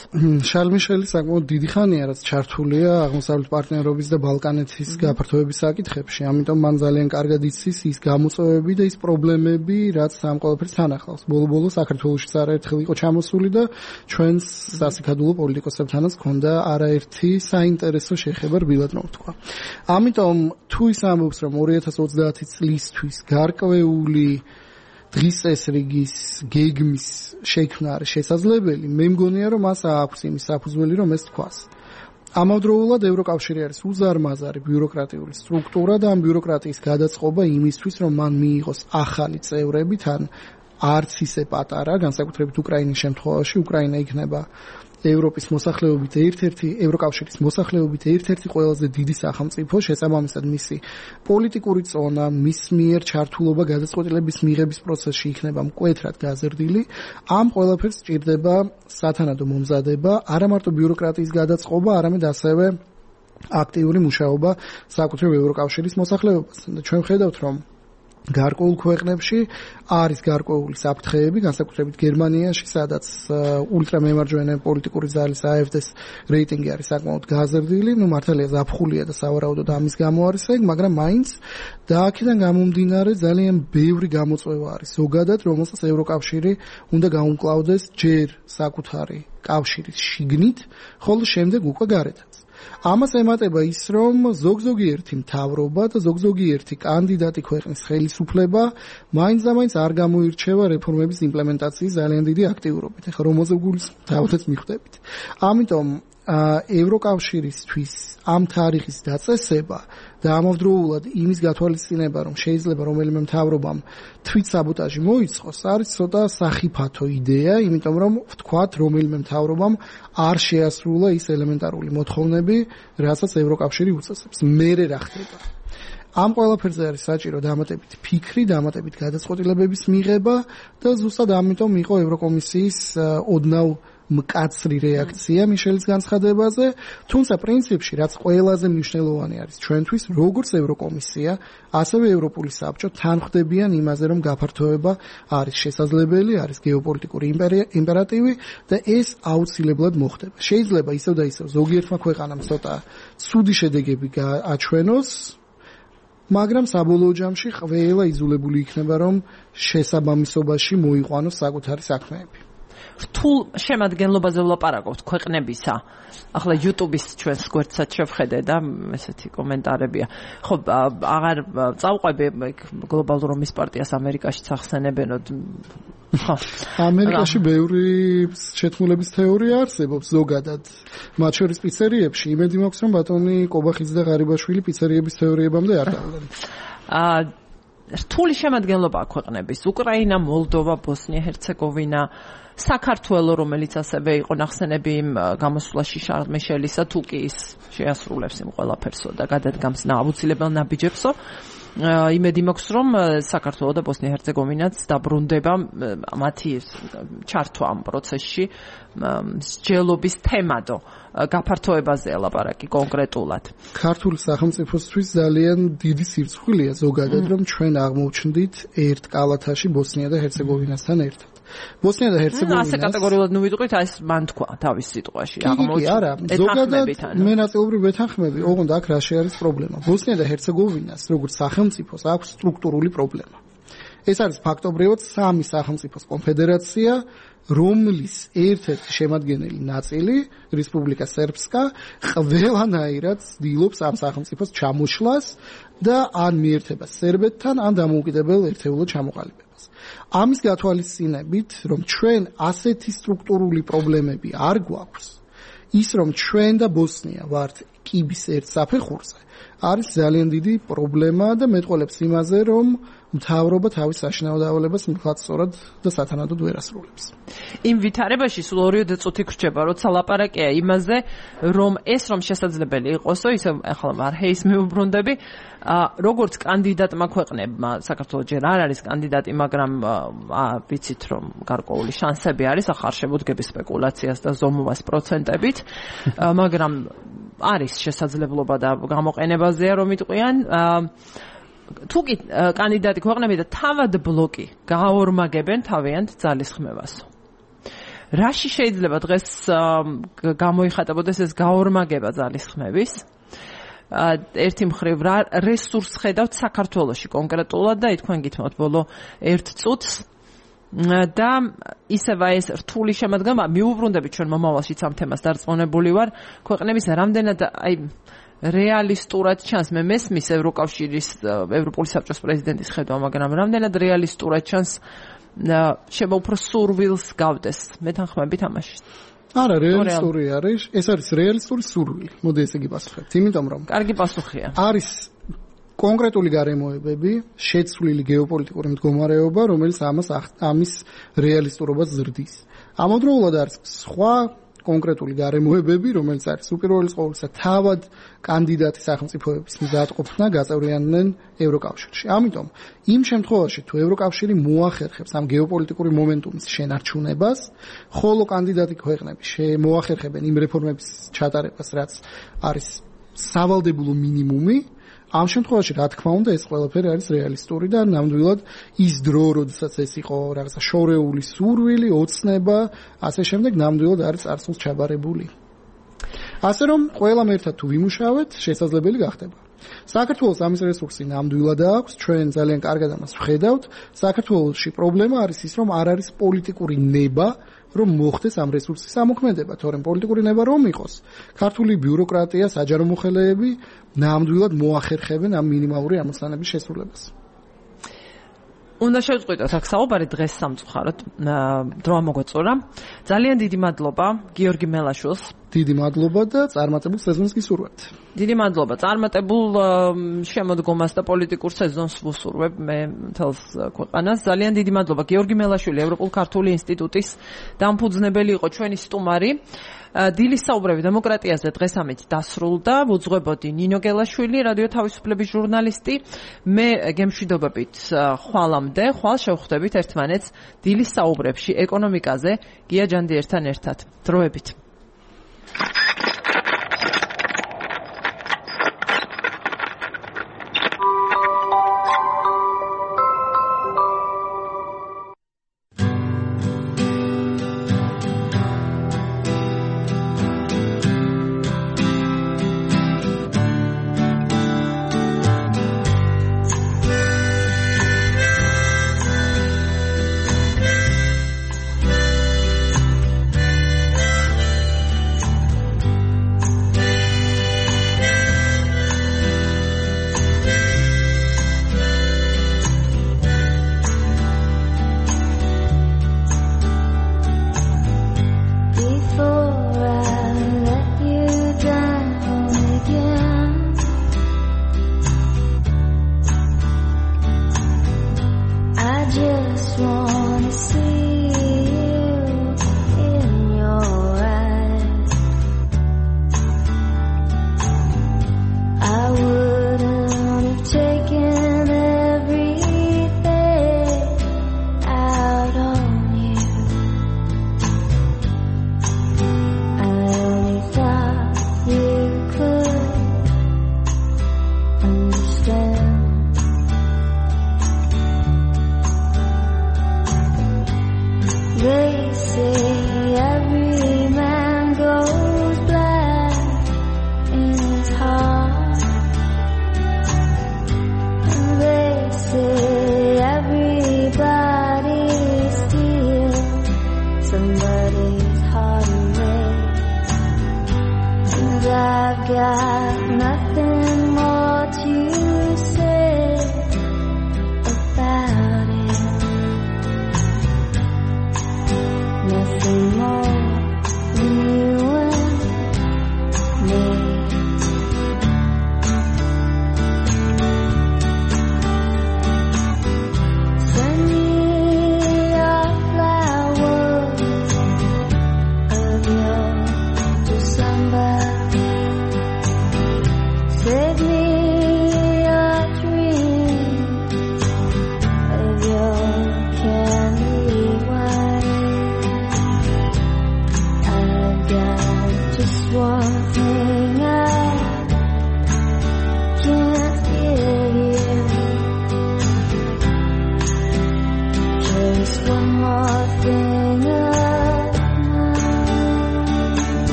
შარლ მიშელი საკმაოდ დიდი ხანია რაც ჩართულია აღმოსავლეთ პარტნიორობის და ბალკანეთის გაფართოების საკითხებში, ამიტომ მან ძალიან კარგად იცის ის გამოწვევები და ის პრობლემები, რაც ამ ყველაფერს თან ახლავს. ბოლო-ბოლო საქართველოშიც არაერთხელ იყო ჩამოსული და ჩვენს სასიქადულო პოლიტიკოსებთანაც ჰქონდა არაერთი საინტერესო შეხება რბილად მოვთქვა. ამიტომ თუ ის ამბობს, რომ ორი ათას ოცდაათი წლისთვის გარკვეული დღის წესრიგის გეგმის შექმნა არის შესაძლებელი, მე მგონია რომ მას აქვს იმის საფუძველი რომ ეს თქვას. ამავდროულად ევროკავშირი არის უზარმაზარი ბიუროკრატიული სტრუქტურა და ამ ბიუროკრატიის გადაწყობა იმისთვის რომ მან მიიღოს ახალი წევრები თან არც ისე პატარა, განსაკუთრებით უკრაინის შემთხვევაში. უკრაინა იქნება ევროპის მოსახლეობით ერთ-ერთი ევროკავშირის მოსახლეობით ერთ-ერთი ყველაზე დიდი სახელმწიფო, შესაბამისად მისი პოლიტიკური წონა, მის მიერ ჩართულობა გადაწყვეტილების მიღების პროცესში იქნება მკვეთრად გაზრდილი. ამ ყველაფერს სჭირდება სათანადო მომზადება, არა მარტო ბიუროკრატიის გადაწყობა, არამედ ასევე აქტიური მუშაობა საკუთრივ ევროკავშირის მოსახლეობასთან. და ჩვენ ვხედავთ, რომ გარკვეულ ქვეყნებში არის გარკვეული საფრთხეები, განსაკუთრებით გერმანიაში, სადაც ულტრამემარჯვენე პოლიტიკური ძალის A F D-ს რეიტინგი არის საკმაოდ გაზრდილი. ნუ მართალია ზაფხულია და სავარაუდოდ ამის გამო არის ეგ, მაგრამ მაინც და აქედან გამომდინარე ძალიან ბევრი გამოწვევა არის ზოგადად, რომელსაც ევროკავშირი უნდა გაუმკლავდეს ჯერ საკუთარი კავშირის შიგნით, ხოლო შემდეგ უკვე გარეთაც. ამას ემატება ის, რომ ზოგ-ზოგიერთი მთავრობა და ზოგ-ზოგიერთი კანდიდატი ქვეყნის ხელისუფლება მაინც და მაინც არ გამოირჩევა რეფორმების იმპლემენტაციის ძალიან დიდი აქტიურობით. ეხლა რომელზე გულისხმობთ მიხვდებით. ამიტომ ევროკავშირისთვის ამ თარიღის დაწესება და ამავდროულად იმის გათვალისწინება, რომ შეიძლება რომელიმე მთავრობამ თვითსაბოტაჟი მოიწყოს, არის ცოტა სახიფათო იდეა, იმიტომ რომ ვთქვათ, რომელიმე მთავრობამ არ შეასრულა ის ელემენტარული მოთხოვნები, რასაც ევროკავშირი უწესებს. მერე რა ხდება? ამ ყველაფერზე არის საჭირო დამატებით ფიქრი, დამატებით გადაწყვეტილებების მიღება და ზუსტად ამიტომ იყო ევროკომისიის ოდნავ მკაცრი რეაქცია მიშელის განცხადებაზე, თუმცა პრინციპში რაც ყველაზე მნიშვნელოვანი არის ჩვენთვის, როგორც ევროკომისია, ასევე ევროპული საბჭო თან ხვდებიან იმაზე, რომ გაფართოება არის შესაძლებელი, არის გეოპოლიტიკური იმპერატივი და ეს აუცილებლად მოხდება. შეიძლება ისევ და ისევ ზოგიერთმა ქვეყანამ ცოტა ცუდი შედეგები აჩვენოს, მაგრამ საბოლოო ჯამში ყველა იძულებული იქნება, რომ შესაბამისობაში მოიყვანოს საკუთარი საქმეები. რთულ შემადგენლობაზე ვლაპარაკობთ ქვეყნებისა. ახლა YouTube-ის ჩვენს გვერდსაც შევხედე და ესეთი კომენტარებია. ხო, აღარ წავყვები გლობალურ ომის პარტიას ამერიკაში ახსენებენოდ. ხო, ამერიკაში ბევრი შეთქმულების თეორია არსებობს ზოგადად. მათ შორის პიცერიებში იმედი მაქვს, რომ ბატონი კობახიძე და ღარიბაშვილი პიცერიების თეორიებამდე არ გავდნენ. აა რთული შემადგენლობა ქვეყნების: უკრაინა, მოლდოვა, ბოსნია-ჰერცეგოვინა, საქართველო, რომელიც ასევე იყო ნახსენები იმ გამოსვლაში შარლ მიშელისა, თუ კი ის შეასრულებს იმ ყველაფერსო და გადადგამს აუცილებელ ნაბიჯებსო. იმედი მაქვს, რომ საქართველო და ბოსნია-ჰერცეგოვინაც დაბრუნდება მათი ჩართვა ამ პროცესში მსჯელობის თემადო გაფართოებაზე ლაპარაკი კონკრეტულად. ქართული სახელმწიფოსთვის ძალიან დიდი სირცხვილია ზოგადად, რომ ჩვენ აღმოჩნდით ერთ კალათაში ბოსნია და ჰერცეგოვინასთან ერთად. ბოსნია და ჰერცეგოვინა ასე კატეგორიულად ნუ ვიტყვით, აი ეს მან თქვა თავის სიტყვაში. აღმოჩნდა. არა, ზოგადად მე ნაწილობრივ ვეთანხმები, ოღონდ აქ რა არის პრობლემა. ბოსნია და ჰერცეგოვინას როგორც სახელმწიფოს აქვს სტრუქტურული პრობლემა. ეს არის ფაქტობრივად სამი სახელმწიფოს კონფედერაცია, რომლის ერთ-ერთი შემადგენელი ნაწილი, რესპუბლიკა სერბსკა, ყველანაირად ცდილობს ამ სახელმწიფოს ჩამოშლას და ან მიერთებას სერბეთთან, ან დამოუკიდებელ ერთეულოდ ჩამოყალიბებას. ამის გათვალისწინებით, რომ ჩვენ ასეთი სტრუქტურული პრობლემები არ გვაქვს, ის რომ ჩვენ და ბოსნია ვართ კიბის ერთ საფეხურზე, არის ძალიან დიდი პრობლემა და მეტყველებს იმაზე, რომ მთავრობა თავის საშინაო დავალებას მხატვრად და სათანადოდ ვერ ასრულებს. იმ ვითარებაში სულ ორიოდე წუთი გრჩება, როცა ლაპარაკია იმაზე, რომ ეს რომ შესაძლებელი იყოსო, ისე ახლა მარჰეის მეუბრუნდები, როგორც კანდიდატმა ქვეყნებმა, საქართველოს ჯერ არ არის კანდიდატი, მაგრამ ვიცით რომ გარკვეული შანსები არის, ახლა არ შემოდგების სპეკულაციას და ზომვას პროცენტებით, მაგრამ არის შესაძლებლობა და გამოყენებაზეა რომ იტყვიან თუ კი კანდიდატი ქვეყნები და თავად ბლოკი გაორმაგებენ თავიანთ ძალისხმევას. რაში შეიძლება დღეს გამოიხატებოდეს ეს გაორმაგება ძალისხმევის? ერთი მხრივ რა რესურს ხედავთ საქართველოში კონკრეტულად და თქვენ გითხრათ ბოლო ერთ წუთს და ისევ ეს რთული შემადგენლობა მიუბრუნდებით ჩვენ მომავალშიც ამ თემას დარწმუნებული ვარ ქვეყნების რამდენად აი რეალისტურად ჩანს მე მესმის ევროკავშირის ევროპული საბჭოს პრეზიდენტის ხედვა, მაგრამ რამდენად რეალისტურად ჩანს შევა უფრო სურვილს გავდეს მეთანხმებით ამაში. არა, რეალისტური არის, ეს არის რეალისტური სურვილი. მოდი ესე იგი პასუხებთ, იმიტომ რომ კარგი პასუხია. არის კონკრეტული გარემოებები, შეცვლილი გეოპოლიტიკური მდგომარეობა, რომელიც ამას ამის რეალისტურობას ზრდის. ამავდროულად არის სხვა კონკრეტული გარემოებები, რომელიც არის უპირველეს ყოვლისა თავად კანდიდატი სახელმწიფოების მზადყოფნა გაწევრიანდნენ ევროკავშირში. ამიტომ იმ შემთხვევაში თუ ევროკავშირი მოახერხებს ამ გეოპოლიტიკური მომენტუმის შენარჩუნებას, ხოლო კანდიდატი ქვეყნები მოახერხებენ იმ რეფორმების ჩატარებას, რაც არის სავალდებულო მინიმუმი, ამ შემთხვევაში რა თქმა უნდა ეს ყველაფერი არის რეალისტური და ნამდვილად ის დრო, როდესაც ეს იყო რაღაცა შორეული სურვილი, ოცნება, ასე შემდეგ ნამდვილად არის წარსულს ჩაბარებული. ასე რომ ყველამ ერთად თუ ვიმუშავეთ, შესაძლებელი გახდება. საქართველოს ამის რესურსი ნამდვილად აქვს, ჩვენ ძალიან კარგად ამას ვხედავთ. საქართველოში პრობლემა არის ის, რომ არ არის პოლიტიკური ნება, რომ მოხდეს ამ რესურსის ამოქმედება, თორემ პოლიტიკური ნება რომ იყოს, ქართული ბიუროკრატია, საჯარო მოხელეები ნამდვილად მოახერხებენ ამ მინიმალური ამოცანების შესრულებას. უნდა შევწყვიტოთ აქ საუბარი დღეს სამწუხაროდ დრო ამოგვეწურა. ძალიან დიდი მადლობა გიორგი მელაშვილს. დიდი მადლობა და წარმატებულ სეზონს გისურვებთ. დიდი მადლობა. წარმატებულ შემოდგომას და პოლიტიკურ სეზონს ვუსურვებ მე მთელს ქვეყანას. ძალიან დიდი მადლობა გიორგი მელაშვილი, ევროპულ-ქართული ინსტიტუტის დამფუძნებელი იყო ჩვენი სტუმარი. დილის საუბრები დემოკრატიაზე დღეს ამით დასრულდა. ვუძღვებოდი ნინო გელაშვილი, რადიო თავისუფლების ჟურნალისტი. მე გემშვიდობებით ხვალამდე, ხვალ შევხვდებით ერთმანეთს დილის საუბრებში ეკონომიკაზე გია ჯანდიერთან ერთად. დროებით.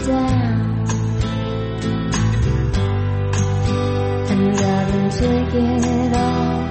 down, and I've been taking it all.